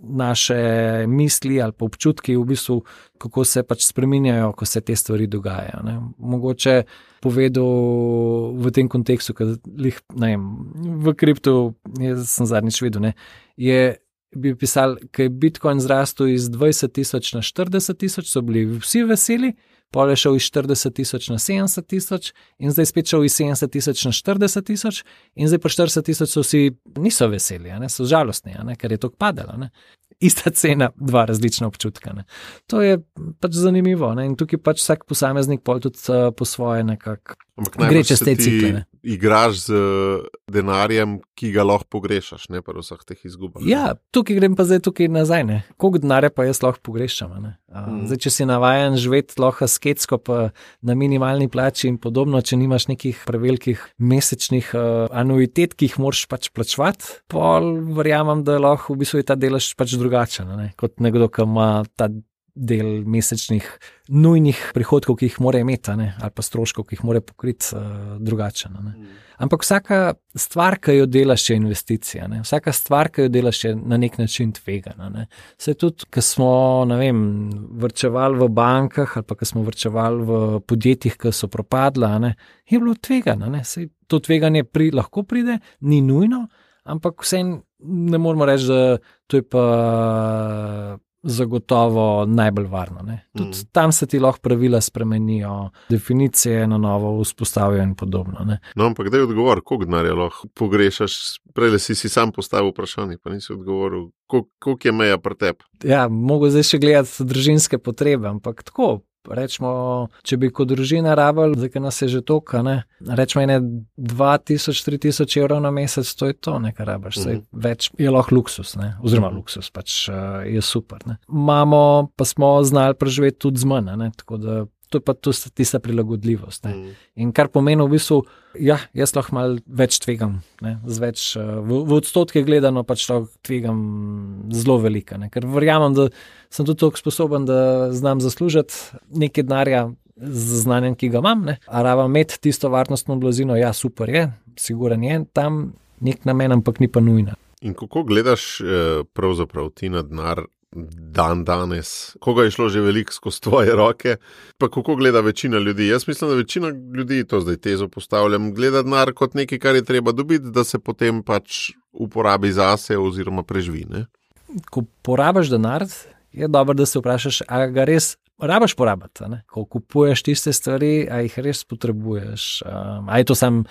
naše misli ali pa občutki v bistvu, kako se pač spreminjajo, ko se te stvari dogajajo. Ne? Mogoče povedal v tem kontekstu, v kriptu, jaz sem zadnjič videl, ne, bi pisal, ko je Bitcoin zrastel iz 20,000 na 40,000, so bili vsi veseli, pol je šel iz 40,000 na 70,000 in zdaj spet šel iz 70,000 na 40,000 in zdaj pa 40,000 so vsi niso veseli, ne, so žalostni, ne, ker je to padalo. Ne. Ista cena, 2 različna občutka. Ne. To je pač zanimivo, ne, in tukaj pač vsak posameznik pol tudi po svoje nekako gre čez te cikle. Igraš z denarjem, ki ga lahko pogrešaš, ne pa vseh teh izgubah. Ja, tukaj grem pa zdaj tukaj nazaj, ne. Koliko denarja pa jaz lahko pogrešam, ne. Zdaj, če si navajen živeti lahko asketsko pa na minimalni plači in podobno, če nimaš nekih prevelikih mesečnih anuitet, ki jih moraš pač plačevati, pol verjamem, da lahko v bistvu je ta delež pač drugačen, ne, kot nekdo, ki ima ta del mesečnih nujnih prihodkov, ki jih mora imeti, ne, ali pa stroškov, ki jih mora pokriti drugačen. Ne. Ampak vsaka stvar, ki jo delaš, je investicija. Ne. Vsaka stvar, ki jo delaš, je na nek način tvegana. Ne. Saj tudi, ko smo, ne vem, vrčevali v bankah ali pa ko smo vrčevali v podjetjih, ki so propadla, ne, je bilo tvegano. Ne. Saj to tveganje lahko pride, ni nujno, ampak vseeno ne moramo reči, da to je pa zagotovo najbolj varno. Ne. Tudi tam se ti lahko pravila spremenijo, definicije na novo vzpostavijo in podobno. Ne. No, ampak daj odgovor, koliko denarja lahko pogrešaš? Prejle si sam postavil vprašanje, pa nisi odgovoril, koliko je meja pri tebi? Ja, mogo zdaj še gledati družinske potrebe, ampak tako. Rečemo, če bi kot družina rabili, zdaj, nas je že toliko, ne, rečemo 2,000–3,000 evrov na mesec, to je to, nekaj rabiš, več je lahko luksus, ne, oziroma luksus, pač je super, ne. Imamo, pa smo znali preživeti tudi z manj, ne, tako da to je pa tista prilagodljivost, ne. In kar pomeni v bistvu, ja, jaz lahko malo več tvegam, ne, z več, v odstotke gledano pač lahko tvegam zelo velika, ne, ker verjamem, da sem tudi toliko sposoben, da znam zaslužiti nekaj denarja z znanjem, ki ga imam, ne, a rabim imeti tisto varnostno blazino, ja, super je, siguren je, tam nek namen, ampak ni pa nujno. In kako gledaš pravzaprav ti na denar danes, koga je šlo že veliko skozi tvoje roke, pa kako gleda večina ljudi? Jaz mislim, da večina ljudi, to zdaj tezo postavljam, gleda denar kot nekaj, kar je treba dobiti, da se potem pač uporabi zase oziroma preživi, ne? Ko porabiš denar, je dobro, da se vprašaš, a ga res rabiš porabiti, ne? Ko kupuješ tiste stvari, a jih res potrebuješ, a je to sam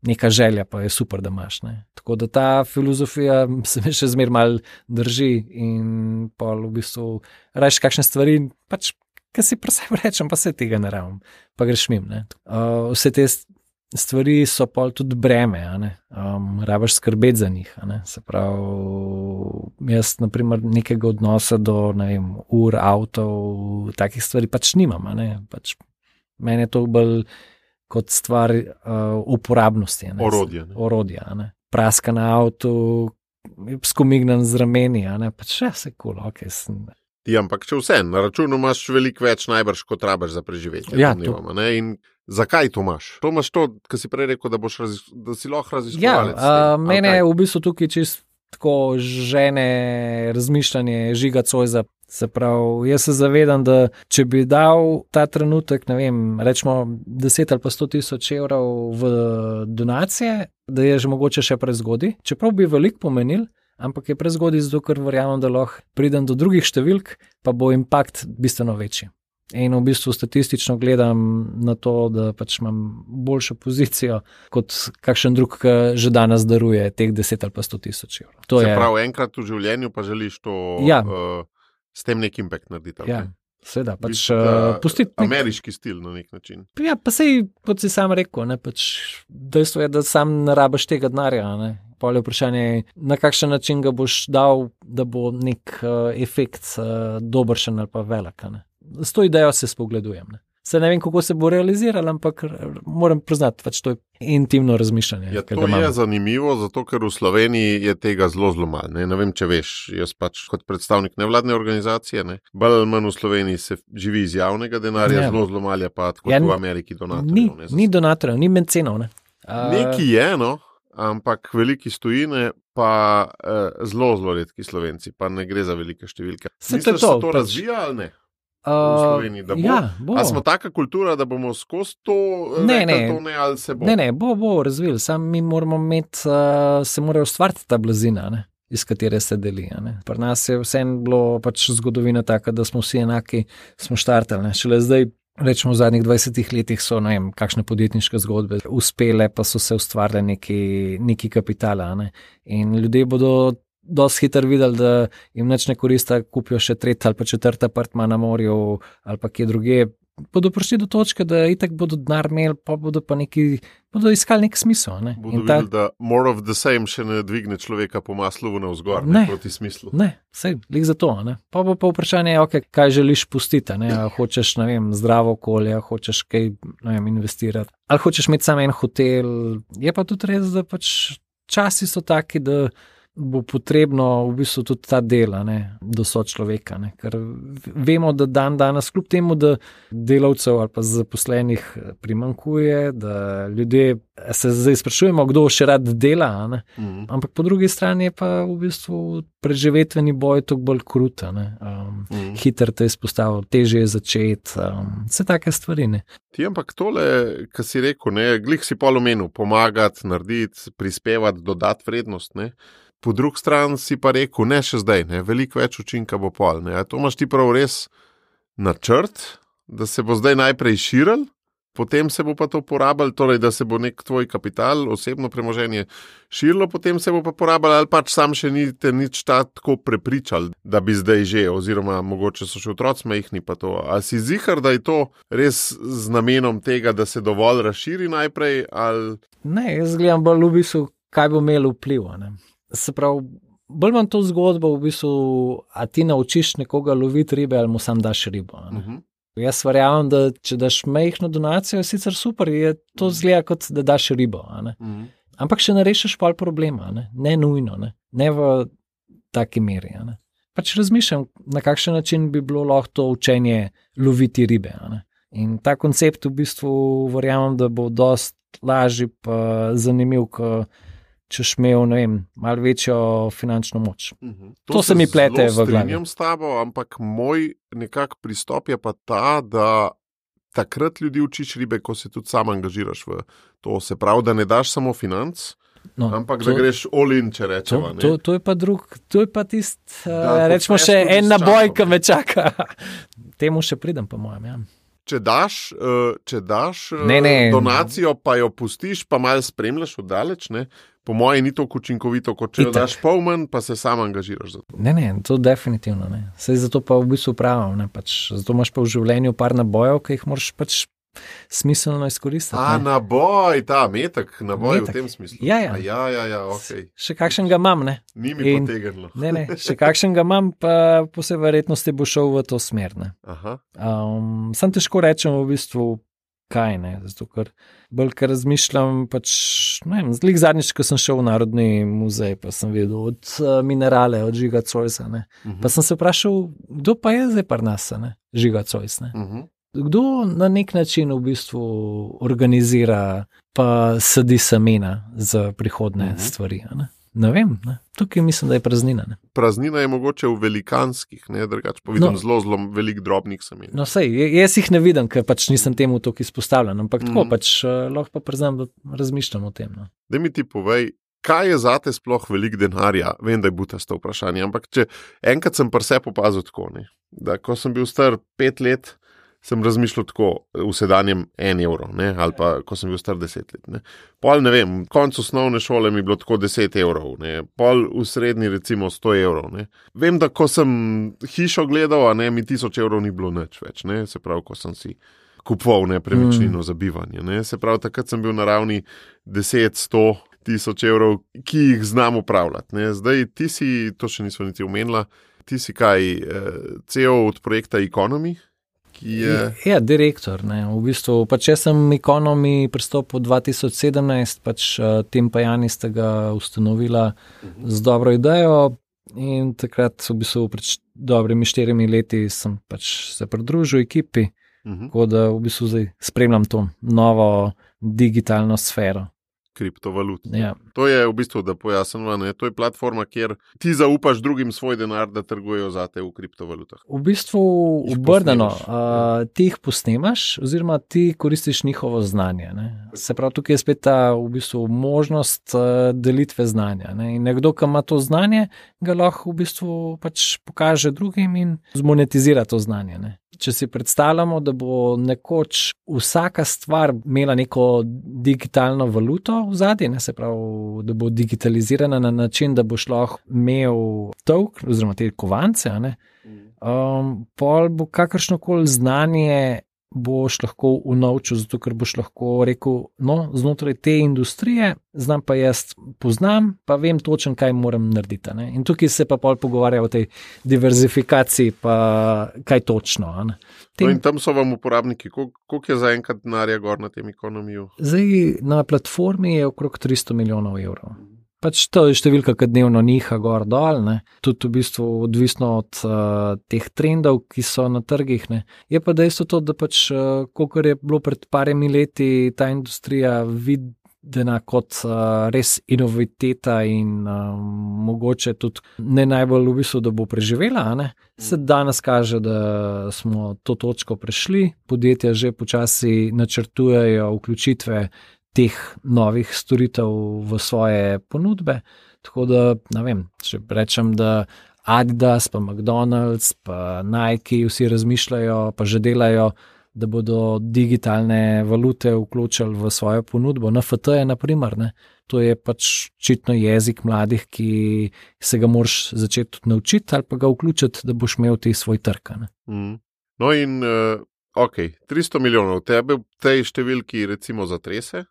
neka želja, pa je super, da imaš. Ne? Tako da ta filozofija se mi še zmer malo drži in pa v bistvu rajš kakšne stvari, pač, kaj si pri sebi rečem, pa se tega ne rabim, pa greš mim. Ne? Vse te stvari so pol tudi breme, rabiš skrbeti za njih. Se pravi, jaz naprimer nekega odnosa do, ne vem, ur, avtov, takih stvari pač nimam. Pač, meni je to bolj kot stvar uporabnosti. Orodja. Praska na avtu, skomignan z rameni, pač vse kul, Ti, ampak če vse, na računu imaš veliko več najbrž, kot rabiš za preživetje. Ja, in zakaj to imaš? To imaš to, kar si prej rekel, da si lahko raziskovalec. Ja, mene je v bistvu tukaj čisto tako žene razmišljanje Žiga Cojza. Se pravi, jaz se zavedam, da če bi dal ta trenutek, ne vem, rečemo 10 ali pa 100 tisoč evrov v donacije, da je že mogoče še prezgodaj, čeprav bi veliko pomenil, ampak je prezgodaj zato, ker verjamem, da lahko pridem do drugih številk, pa bo impakt bistveno večji. In v bistvu statistično gledam na to, da pač imam boljšo pozicijo kot kakšen drug, ki že danes daruje teh 10 ali pa 100 tisoč evrov. Se pravi, enkrat v življenju pa želiš to s tem nek impact narediti. Ja, seveda, pač pustiti ameriški stil na nek način. Ja, pa sej, kot si sam rekel, ne, pač dejstvo je, da sam ne rabiš tega denarja, ne. Pol je vprašanje, na kakšen način ga boš dal, da bo nek efekt dobršen ali pa velik, ne. S to idejo se spogledujem. Ne. Se ne vem, kako se bo realiziralo, ampak moram priznati, pač to je intimno razmišljanje. Ja, to je zanimivo, zato ker v Sloveniji je tega zelo malo. Ne vem, če veš, jaz pač kot predstavnik nevladne organizacije, bolj ali manj v Sloveniji se živi iz javnega denarja, zelo malo pa kot v Ameriki donatorjev. Ni donatorjev, ni mencenov. Ne. Neki je, ampak veliki stojine pa zelo redki Slovenci, pa ne gre za velike številke. Misliš, da se to razvija ali ne? V Sloveniji, da bo. Ja, bo. A smo taka kultura, da bomo skozi to ali se bo? Ne, bo razvil. Sam mi moramo imeti, se mora ustvariti ta blazina, ne, iz katere se deli. Ne. Pri nas je vseeno bilo pač zgodovina taka, da smo vsi enaki, smo štartali. Šele zdaj, rečemo v zadnjih 20 letih so, ne vem, kakšne podjetniške zgodbe uspele, pa so se ustvarjali neki kapitala. Ne. In ljudje bodo dosti hitro videli, da jim nič ne koristi, kupijo še tretji ali pa četrti apartma na morju ali pa kje druge. Bodo prišli do točke, da itak bodo denar imeli, pa bodo iskali nek smisel. Ne? Bodo videli, da more of the same še ne dvigne človeka po maslu navzgor, ne proti smislu. Ne, sej, lik za to. Ne? Pa bo pa vprašanje, kaj želiš pustiti. Hočeš, ne vem, zdravo okolje, hočeš kaj, ne vem, investirati. Ali hočeš imeti samo en hotel. Je pa tudi res, da pač časi so taki, da bo potrebno v bistvu tudi ta dela, do sočloveka, ker vemo, da danes kljub temu, da delavcev ali pa zaposlenih primanjkuje, da ljudje se zdaj sprašujemo, kdo še rad dela, ampak po drugi strani je pa v bistvu preživetveni boj toliko bolj krut, hiter te izpostavil, težje je začeti, vse take stvari. Ti, ampak tole, kar si rekel, glih si pol omenil, pomagati, narediti, prispevati, dodati vrednost, Po drugi strani si pa rekel, ne še zdaj, veliko več učinka bo pol. To imaš ti prav res načrt, da se bo zdaj najprej širil, potem se bo pa to porabljal, torej da se bo nek tvoj kapital, osebno premoženje širilo, potem se bo pa porabljal, ali pač sam še niste nič tako prepričal, da bi zdaj že, oziroma mogoče so še otroci majhni pa to. A si zihar, da je to res z namenom tega, da se dovolj razširi najprej? Ali... Ne, jaz gledam bolj v bistvu, kaj bo imelo vpliv. Se pravi, bolj imam to zgodbo v bistvu, a ti naučiš nekoga loviti ribe ali mu sam daš ribo. Jaz verjamem, da če daš majhno donacijo, je sicer super, je to zgleda kot da daš ribo. Ampak še ne rešiš pol problema, ne nujno, ne v taki meri. Pač razmišljam, na kakšen način bi bilo lahko to učenje loviti ribe. In ta koncept v bistvu verjamem, da bo dosti lažji pa zanimiv, češ imel, ne vem, malo večjo finančno moč. To se mi plete v glavi. Strinjam s tabo, ampak moj nekak pristop je pa ta, da takrat ljudi učiš ribe, ko se tudi sam angažiraš v to. Se pravi, da ne daš samo financ, ampak da greš all in, če rečemo. To je pa to je pa rečemo še en naboj, ki me čaka. Temu še pridem, po mojem, ja. Če daš donacijo, pa jo pustiš, pa malo spremljaš oddaleč, po moje ni toliko učinkovito, kot če jo daš pol manj, pa se sam angažiraš za to. Ne, to definitivno ne. Saj zato pa v bistvu pravim, zato imaš pa v življenju par nabojev, ki jih moraš pač smiselno izkoristiti. Naboj, ta metek, naboj v tem smislu. Ja, ok. Še kakšen ga imam, Ni mi potegnilo. Ne, še kakšen ga imam, pa po vsej verjetnosti bo šel v to smer, Aha. Sam težko rečem v bistvu, kaj ne. Zato, ker bolj, ker razmišljam, pač, ne vem, zlik zadnjič, ko sem šel v Narodni muzej, pa sem videl od Minerale, od Žiga Zoisa, ne. Pa sem se vprašal, kdo pa je zdaj pri nas, ne, Žiga Zois, ne. Kdo na nek način v bistvu organizira pa sadi semena za prihodne stvari, ne vem, ne. Tukaj mislim, da je praznina. Ne. Praznina je mogoče v velikanskih, ne, drugače pa vidim zelo velik drobnih semen. No sej, jaz jih ne vidim, ker pač nisem temu toliko izpostavljen, ampak tako pač lahko pa priznam, da razmišljam o tem. No. Daj mi ti povej, kaj je zate sploh velik denarja? Vem, da je butasto vprašanje, ampak če enkrat sem pri sebi opazil tako, ne, da ko sem bil star 5 let, sem razmišljal tako v sedanjem 1 evro, ne, ali pa ko sem bil star 10 let. Ne. Pol, ne vem, konc osnovne šole mi je bilo tako 10 evrov, ne, pol v srednji recimo 100 evrov. Ne. Vem, da ko sem hišo gledal, ne, mi 1000 evrov ni bilo nič več, ne, se pravi, ko sem si kupoval nepremičnino za bivanje. Ne. Se pravi, takrat sem bil na ravni 10, 100, 1000 evrov, ki jih znam upravljati. Ne. Zdaj ti si, to še nismo niti omenila, ti si kaj, CEO od projekta Economy, ki je... Ja, direktor, ne, v bistvu, pač jaz sem Economy pristopil 2017, pač Tim pa Jani sta ga ustanovila z dobro idejo in takrat v bistvu pred dobrimi 4 leti sem pač se pridružil ekipi, tako da v bistvu zdaj spremljam to novo digitalno sfero. Kriptovalut. Ja. To je v bistvu, da pojasnimo, ne, to je platforma, kjer ti zaupaš drugim svoj denar, da trgujejo zate v kriptovalutah. V bistvu obrnjeno, ti jih posnemaš oziroma ti koristiš njihovo znanje. Ne. Se pravi, tukaj je spet ta v bistvu možnost delitve znanja. Ne. In nekdo, ki ima to znanje, ga lahko v bistvu pač pokaže drugim in zmonetizira to znanje. Ne. Če si predstavljamo, da bo nekoč vsaka stvar imela neko digitalno valuto v zadnji, se pravi, da bo digitalizirana na način, da boš lahko imel token oziroma te kovance, pol bo kakršnokoli znanje boš lahko unovčil, zato ker boš lahko rekel, no, znotraj te industrije, znam pa jaz poznam, pa vem točno, kaj moram narediti. Ne? In tukaj se pa pol pogovarja o tej diverzifikaciji, pa kaj točno. No in tam so vam uporabniki, koliko je zaenkrat denarja gor na tem Economiju? Zdaj na platformi je okrog 300 milijonov evrov. Pač to je številka, ki dnevno niha gor dol, ne. Tudi v bistvu odvisno od teh trendov, ki so na trgih. Ne. Je pa dejstvo to, da pač, kolikor je bilo pred parimi leti ta industrija videna kot res inoviteta in mogoče tudi ne najbolj v bistvu, da bo preživela, ne. Se danes kaže, da smo to točko prešli, podjetja že počasi načrtujejo vključitve teh novih storitev v svoje ponudbe, tako da, ne vem, če rečem, da Adidas, pa McDonald's, pa Nike, vsi razmišljajo, pa že delajo, da bodo digitalne valute vključili v svojo ponudbo. NFT je, na primer, ne, to je pač očitno jezik mladih, ki se ga moraš začeti naučiti ali pa ga vključiti, da boš imel ti svoj trg. No in, ok, 300 milijonov, tebe v tej številki recimo zatrese?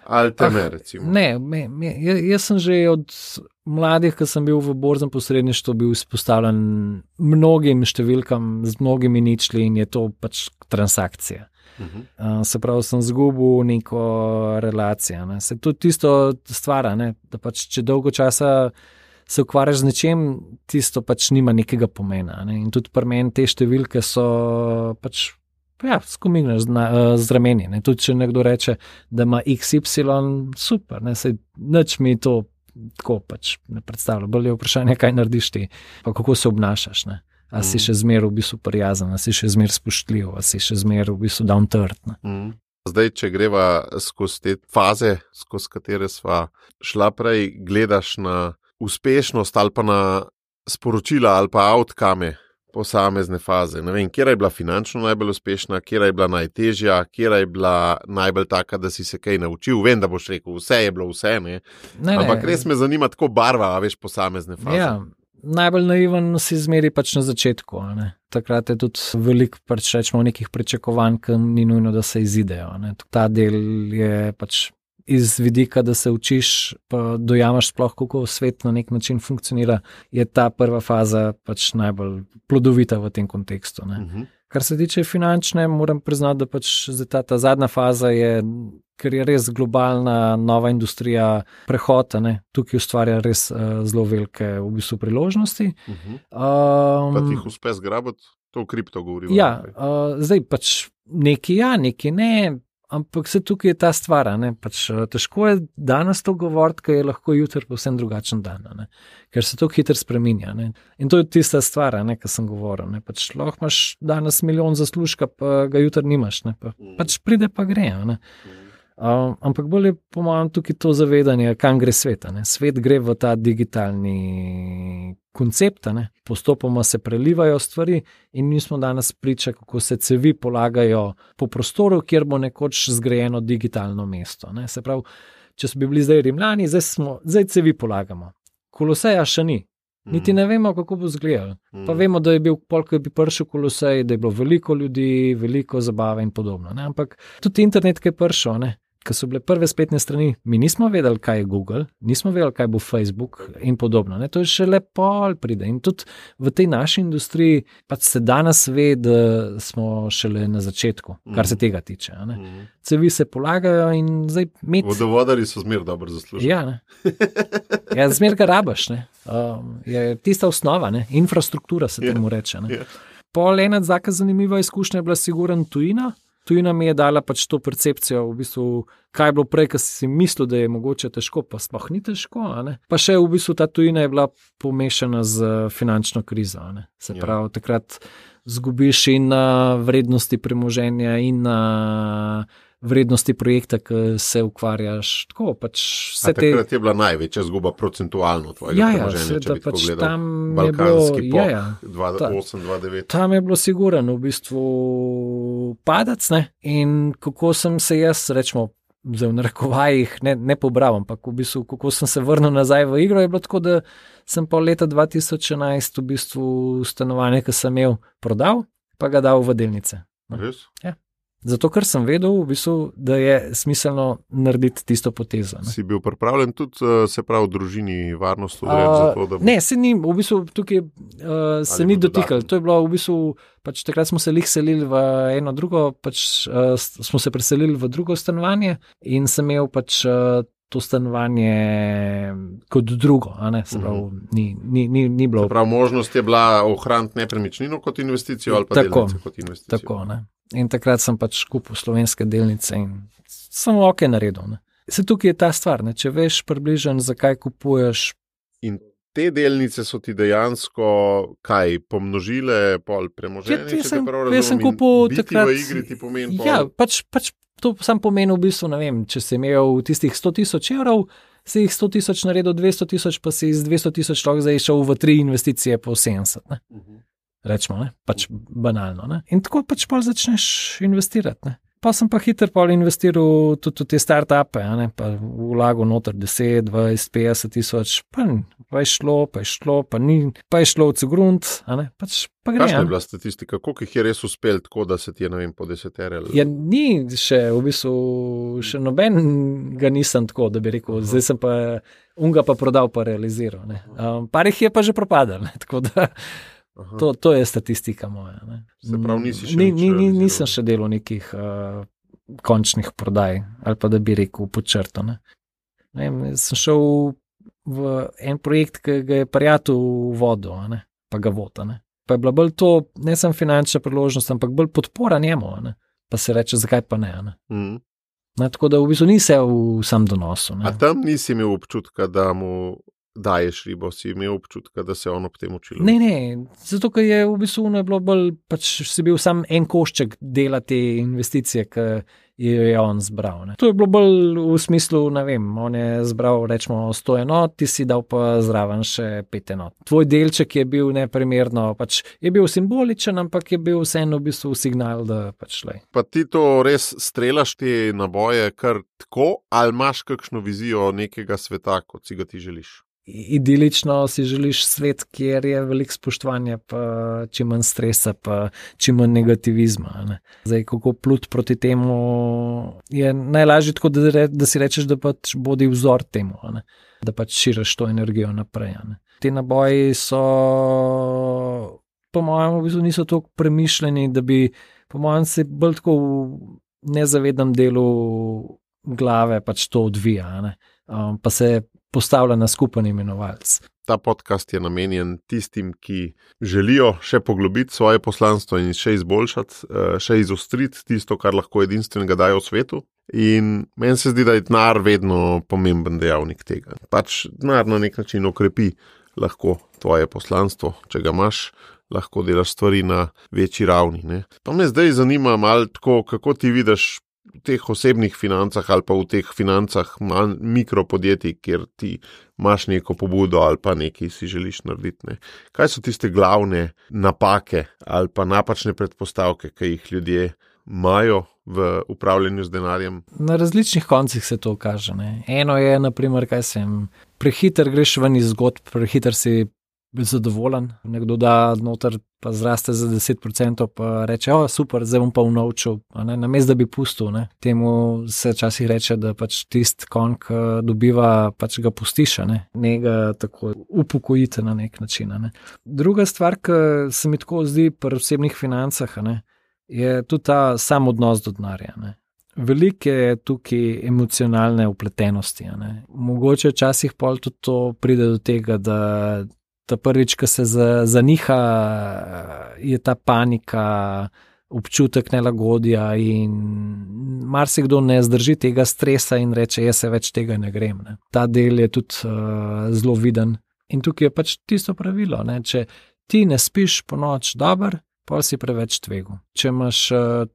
Ali te ne, recimo? Ne, jaz sem že od mladih, ko sem bil v borznem posredništvu, bil izpostavljen mnogim številkam z mnogimi ničli in je to pač transakcija. Se pravi, sem zgubil neko relacijo. Ne. Se to tisto stvara, ne, da pač če dolgo časa se ukvarjaš z nečem, tisto pač nima nekega pomena. Ne. In tudi pri meni te številke so pač skomigneš z rameni. Ne. Tudi če nekdo reče, da ima XY, super, ne, sej nič mi to tako pač ne predstavlja. Bolj je vprašanje, kaj narediš ti, pa kako se obnašaš. Ne. A si še zmer v bistvu prijazen, a si še zmer spoštljiv, a si še zmer v bistvu down to earth. Zdaj, če greva skozi te faze, skozi katere sva šla prej, gledaš na uspešnost ali pa na sporočila ali pa outcome posamezne faze. Ne vem, kjera je bila finančno najbolj uspešna, kjera je bila najtežja, kjera je bila najbolj taka, da si se kaj naučil. Vem, da boš rekel, vse je bilo vse, ne? Ampak res me zanima tako barva, a veš, posamezne faze. Ja, najbolj naiven si zmeri pač na začetku. Ne? Takrat je tudi veliko pač rečemo nekih pričakovanj, ki ni nujno, da se izidejo. Ne? Ta del je pač iz vidika, da se učiš, pa dojamaš sploh, kako svet na nek način funkcionira, je ta prva faza pač najbolj plodovita v tem kontekstu. Ne? Kar se tiče finančne, moram priznati, da pač ta zadnja faza je, ker je res globalna nova industrija prehod, tukaj ustvarja res zelo velike v bistvu priložnosti. Pa ti jih uspe zgrabiti, to v kripto govorimo. Ja, zdaj pač neki ne, ampak se tukaj je ta stvar, pač težko je danes to govoriti, ker je lahko jutri povsem drugačen dan, ker se to hitro spreminja. In to je tista stvar, kar sem govoril. Pač lahko imaš danes milijon zaslužka, pa ga jutri nimaš, pač pride pa gre. Ampak bolj je po mojem tukaj to zavedanje, kam gre svet. Svet gre v ta digitalni koncept, postopoma se prelivajo stvari in mi smo danes priča, kako se cevi polagajo po prostoru, kjer bo nekoč zgrajeno digitalno mesto. Se pravi, če bi bili zdaj Rimljani, zdaj cevi polagamo. Koloseja še ni. Niti ne vemo, kako bo izgledal. Pa vemo, da je bil, ko je prišel Kolosej, da je bilo veliko ljudi, veliko zabave in podobno. Ampak tudi internet, ki je prišel, ko so bile prve spletne strani, mi nismo vedeli, kaj je Google, nismo vedeli, kaj bo Facebook in podobno. To je šele pol pride. In tudi v tej naši industriji pač se danes ve, da smo šele na začetku, kar se tega tiče. Cevi se polagajo in zdaj vodovodarji so zmer dobro zaslužili. Ja, zmer ga rabaš. Je tista osnova, infrastruktura se temu reče. Pol ena taka zanimiva izkušnja je bila sigurno tujina. Tujina mi je dala pač to percepcijo, v bistvu, kaj je bilo prej, ko si mislil, da je mogoče težko, pa sploh ni težko. Pa še v bistvu ta tujina je bila pomešana z finančno krizo. Se pravi, takrat zgubiš in na vrednosti premoženja in na vrednosti projekta, ki se ukvarjaš. Tako, pač vse takrat je bila največja zguba procentualno tvojega premoženja, če bi pač tako gledal. Balkanski pok, 2008-2009. Tam je bilo sigurno v bistvu padec, in kako sem se jaz, rečemo, v narekovajih ne pobral, ampak v bistvu, kako sem se vrnil nazaj v igro, je bilo tako, da sem pa leta 2011 v bistvu stanovanje, ki sem imel, prodal, pa ga dal v delnice. Res? Ja. Zato, ker sem vedel, v bistvu, da je smiselno narediti tisto potezo. Si bil pripravljen tudi, se pravi, v družini varnost odreči? Ne, se ni, v bistvu tukaj se ni dotikal. To je bilo v bistvu, pač takrat smo se selili v eno drugo, pač smo se preselili v drugo stanovanje in sem imel pač to stanovanje kot drugo, se pravi, ni bilo. Se pravi, možnost je bila ohraniti nepremičnino kot investicijo ali pa delnice kot investicijo. Tako, In takrat sem pač kupil slovenske delnice in sem ok naredil. Se tukaj je ta stvar, če veš približno, zakaj kupuješ. In te delnice so ti dejansko kaj, pomnožile pol premoženje, če te prav razumem, sem kupil biti takrat, v igri ti pomeni pol? Ja, pač to sam pomeni v bistvu, ne vem, če si imel tistih 100,000 evrov, si jih 100,000 naredil 200,000, pa si iz 200,000 lahko zdaj šel v 3 investicije po 70, Rečemo, pač banalno. In tako pač pol začneš investirati. Pa sem pa hitro pol investiral tudi v te start-upe, pa vlagal noter 10, 20, 50 tisoč, pa je šlo, pa je šlo v cegrunt, pač pa gre. Kakšna je bila statistika, koliko jih je res uspel tako, da se ti je, ne vem, po 10 erel? Ja, ni še, v bistvu, še noben ga nisem tako, da bi rekel, zdaj sem pa unga pa prodal, pa realiziral. Par jih je pa že propadal, tako da to je statistika moja. Se pravi, nisi še nisem še delal nekih končnih prodaj, ali pa da bi rekel pod črto. Sem šel v en projekt, ki ga je prijatelj vodil, pa ga vota. Pa je bila bolj to, ne samo finančna priložnost, ampak bolj podpora njemu, pa se reče, zakaj pa ne. Tako da v bistvu ni se v sam donosu. A tam nisi imel občutka, da mu daješ ribo, si imel občutka, da se on ob tem učil? Ne, zato ker je v bistvu bilo bolj, pač si bil sam en košček dela te investicije, ki je on zbral. To je bilo bolj v smislu, ne vem, on je zbral rečemo 100 enot, ti si dal pa zraven še 5 enot. Tvoj delček je bil neprimerno, pač je bil simboličen, ampak je bil vseeno v bistvu signal, da pač lej. Pa ti to res strelaš te naboje kar tako, ali imaš kakšno vizijo nekega sveta, kot si ga ti želiš? Idilično si želiš svet, kjer je veliko spoštovanja, pa čim manj stresa, pa čim manj negativizma. Zdaj, kako plut proti temu, je najlažje tako, da si rečeš, da pač bodi vzor temu, da pač širiš to energijo naprej. Te naboji so po mojem, v bistvu niso tako premišljeni, da bi, po mojem, se bolj tako v nezavednem delu glave pač to odvija, ne? Pa se postavlja na skupen imenovalec. Ta podcast je namenjen tistim, ki želijo še poglobiti svoje poslanstvo in še izboljšati, še izostriti tisto, kar lahko edinstvenega dajo v svetu. In meni se zdi, da je denar vedno pomemben dejavnik tega. Pač denar na nek način okrepi lahko tvoje poslanstvo, če ga imaš, lahko delaš stvari na večji ravni, ne. Pa me zdaj zanima malo tako, kako ti vidiš v teh osebnih financah ali pa v teh financah mikropodjetij, kjer ti imaš neko pobudo ali pa nekaj si želiš narediti, ne. Kaj so tiste glavne napake ali pa napačne predpostavke, ki jih ljudje imajo v upravljanju z denarjem? Na različnih koncih se to kaže, ne. Eno je, naprimer, prehiter greš ven iz zgodb, prehiter si zadovoljen, nekdo da noter pa zraste za 10%, pa reče, super, zdaj bom pa unovčil, namesto da bi pustil, ne. Temu se včasih reče, da pač tisti konj, ki dobiva, pač ga pustiš, ne ga tako upokojite na nek način, ne. Druga stvar, ki se mi tako zdi pri osebnih financah, je tudi ta sam odnos do denarja, ne. Veliko je tukaj emocionalne vpletenosti, Mogoče včasih pol tudi to pride do tega, da ta prvič, ko se zaniha, je ta panika, občutek nelagodja in marsikdo ne zdrži tega stresa in reče, jaz se več tega ne grem, ne. Ta del je tudi zelo viden. In tukaj je pač tisto pravilo, če ti ne spiš po noč dober, pol si preveč tvegu. Če imaš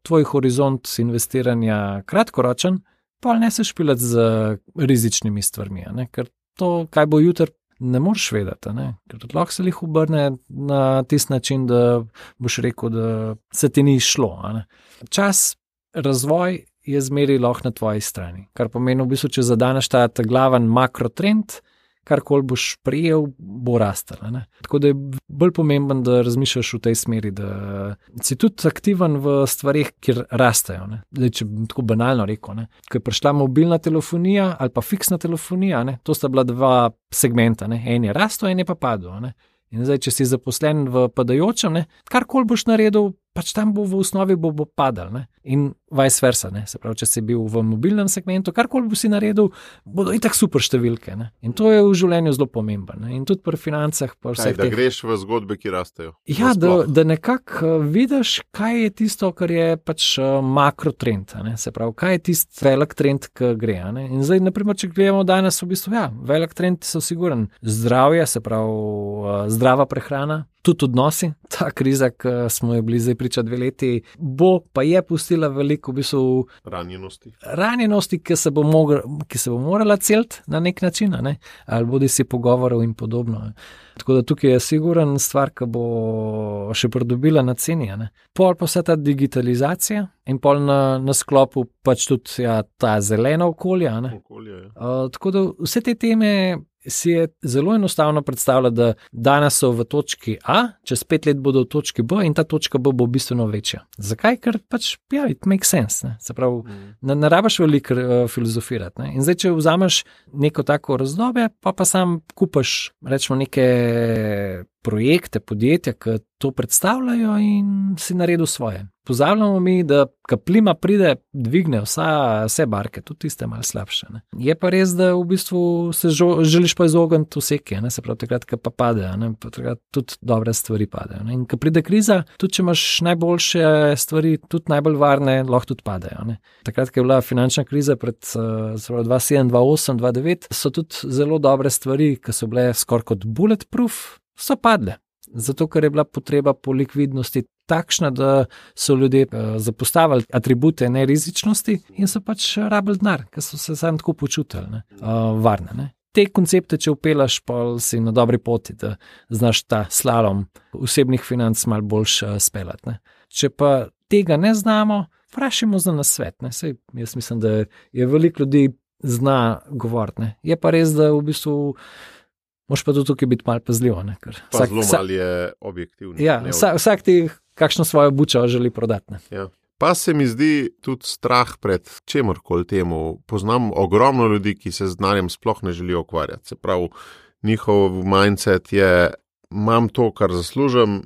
tvoj horizont investiranja kratkoročen, pol ne se špilati z rizičnimi stvarmi, ker to, kaj bo jutri, ne moreš vedeti, ker lahko se jih obrne na tisti način, da boš rekel, da se ti ni šlo. Čas, razvoj je zmeraj lahko na tvoji strani, kar pomeni v bistvu, če zadaneš ta glaven makrotrend, karkoli boš prijel, bo rastel. Tako da je bolj pomemben, da razmišljaš v tej smeri, da si tudi aktiven v stvarih, kjer rastejo. Zdaj, če bi tako banalno rekel, ko je prišla mobilna telefonija ali pa fiksna telefonija, to sta bila dva segmenta, en je rastel, en je pa padel. In zdaj, če si zaposlen v padajočem, karkoli boš naredil, pač tam bo v osnovi bo padal. In vice versa, se pravi, če si bil v mobilnem segmentu, karkoli bo si naredil, bodo itak super številke. In to je v življenju zelo pomembno. In tudi pri financah. Da greš v zgodbe, ki rastejo. Ja, da nekako vidiš, kaj je tisto, kar je pač makrotrend. Se pravi, kaj je tisti velik trend, ki gre. In zdaj, naprimer, če gledamo danes, v bistvu, velik trend so siguren. Zdravje, se pravi, zdrava prehrana, tudi odnosi. Ta kriza, ki smo jo bili zdaj priča 2 leti, pa je pustila veliko v bistvu ranjenosti, ki se bo morala celiti na nek način, ali bodi si pogovorov in podobno. Tako da tukaj je siguren stvar, ki bo še pridobila na ceni. Pol pa vsa ta digitalizacija in pol na sklopu pač tudi ta zelena okolja. Tako da vse te teme si je zelo enostavno predstavljati, da danes so v točki A, čez 5 let bodo v točki B in ta točka B bo bistveno večja. Zakaj? Ker pač, it makes sense. Se pravi, ne rabiš veliko filozofirati. In zdaj, če vzameš neko tako razdobje, pa sam kupaš, rečemo, neke projekte, podjetja, ki to predstavljajo in si naredil svoje. Pozabljamo mi, da ko plima pride, dvigne vse barke, tudi tiste malo slabše. Je pa res, da v bistvu se želiš pa izogniti vseke, se pravi, takrat, ko pa pade, takrat tudi dobre stvari padejo. In ko pride kriza, tudi če imaš najboljše stvari, tudi najbolj varne, lahko tudi padejo. Takrat, ko je bila finančna kriza pred 2007, 2008, 2009, so tudi zelo dobre stvari, ki so bile skoraj kot bulletproof, so padle. Zato, ker je bila potreba po likvidnosti takšna, da so ljudje zapostavili atribute nerizičnosti in so pač rabili denar, ker so se sam tako počutili varne. Te koncepte, če upelaš, pa si na dobri poti, da znaš ta slalom osebnih financ malo boljš speljati. Če pa tega ne znamo, vprašajmo za nasvet. Saj jaz mislim, da je veliko ljudi zna govoriti. Je pa res, da v bistvu moš pa tudi tukaj biti malo pazljiv. Pa zelo malo je objektivno. Ja, vsak ti kakšno svojo bučo želi prodati. Ja. Pa se mi zdi tudi strah pred čemorkoli temu. Poznam ogromno ljudi, ki se z denarjem sploh ne želijo ukvarjati. Se pravi, njihov mindset je, imam to, kar zaslužim,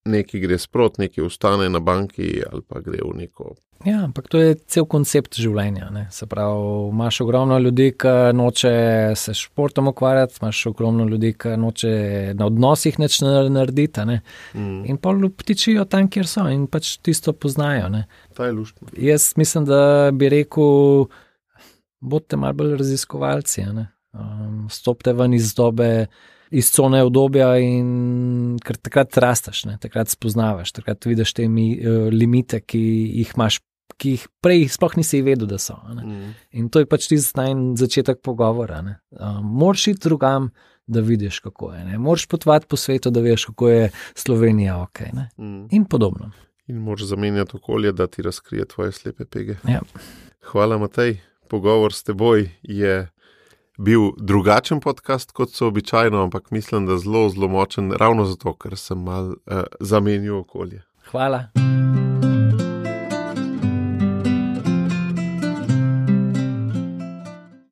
nekaj gre sprot, nekaj ostane na banki ali pa gre v neko. Ja, ampak to je cel koncept življenja. Ne? Se pravi, imaš ogromno ljudi, ki noče se športom ukvarjati, imaš ogromno ljudi, ki noče na odnosih nič narediti. Ne? In pa ptičijo tam, kjer so in pač tisto poznajo. Ne? Ta je luštno. Jaz mislim, da bi rekel, bodite malo bolj raziskovalci. Stopite ven iz dobe, iz cone obdobja in ker takrat rasteš, ne? Takrat spoznavaš, takrat vidiš te limite, ki jih imaš, ki jih prej sploh nisi vedel, da so. In to je pač tisti začetek pogovora. Moraš iti drugam, da vidiš, kako je. Ne? Moraš potovati po svetu, da veš, kako je Slovenija ok. In podobno. In moraš zamenjati okolje, da ti razkrije tvoje slepe pege. Ja. Hvala, Matej. Pogovor s teboj je bil drugačen podcast, kot so običajno, ampak mislim, da zelo, zelo močen, ravno zato, ker sem malo zamenil okolje. Hvala.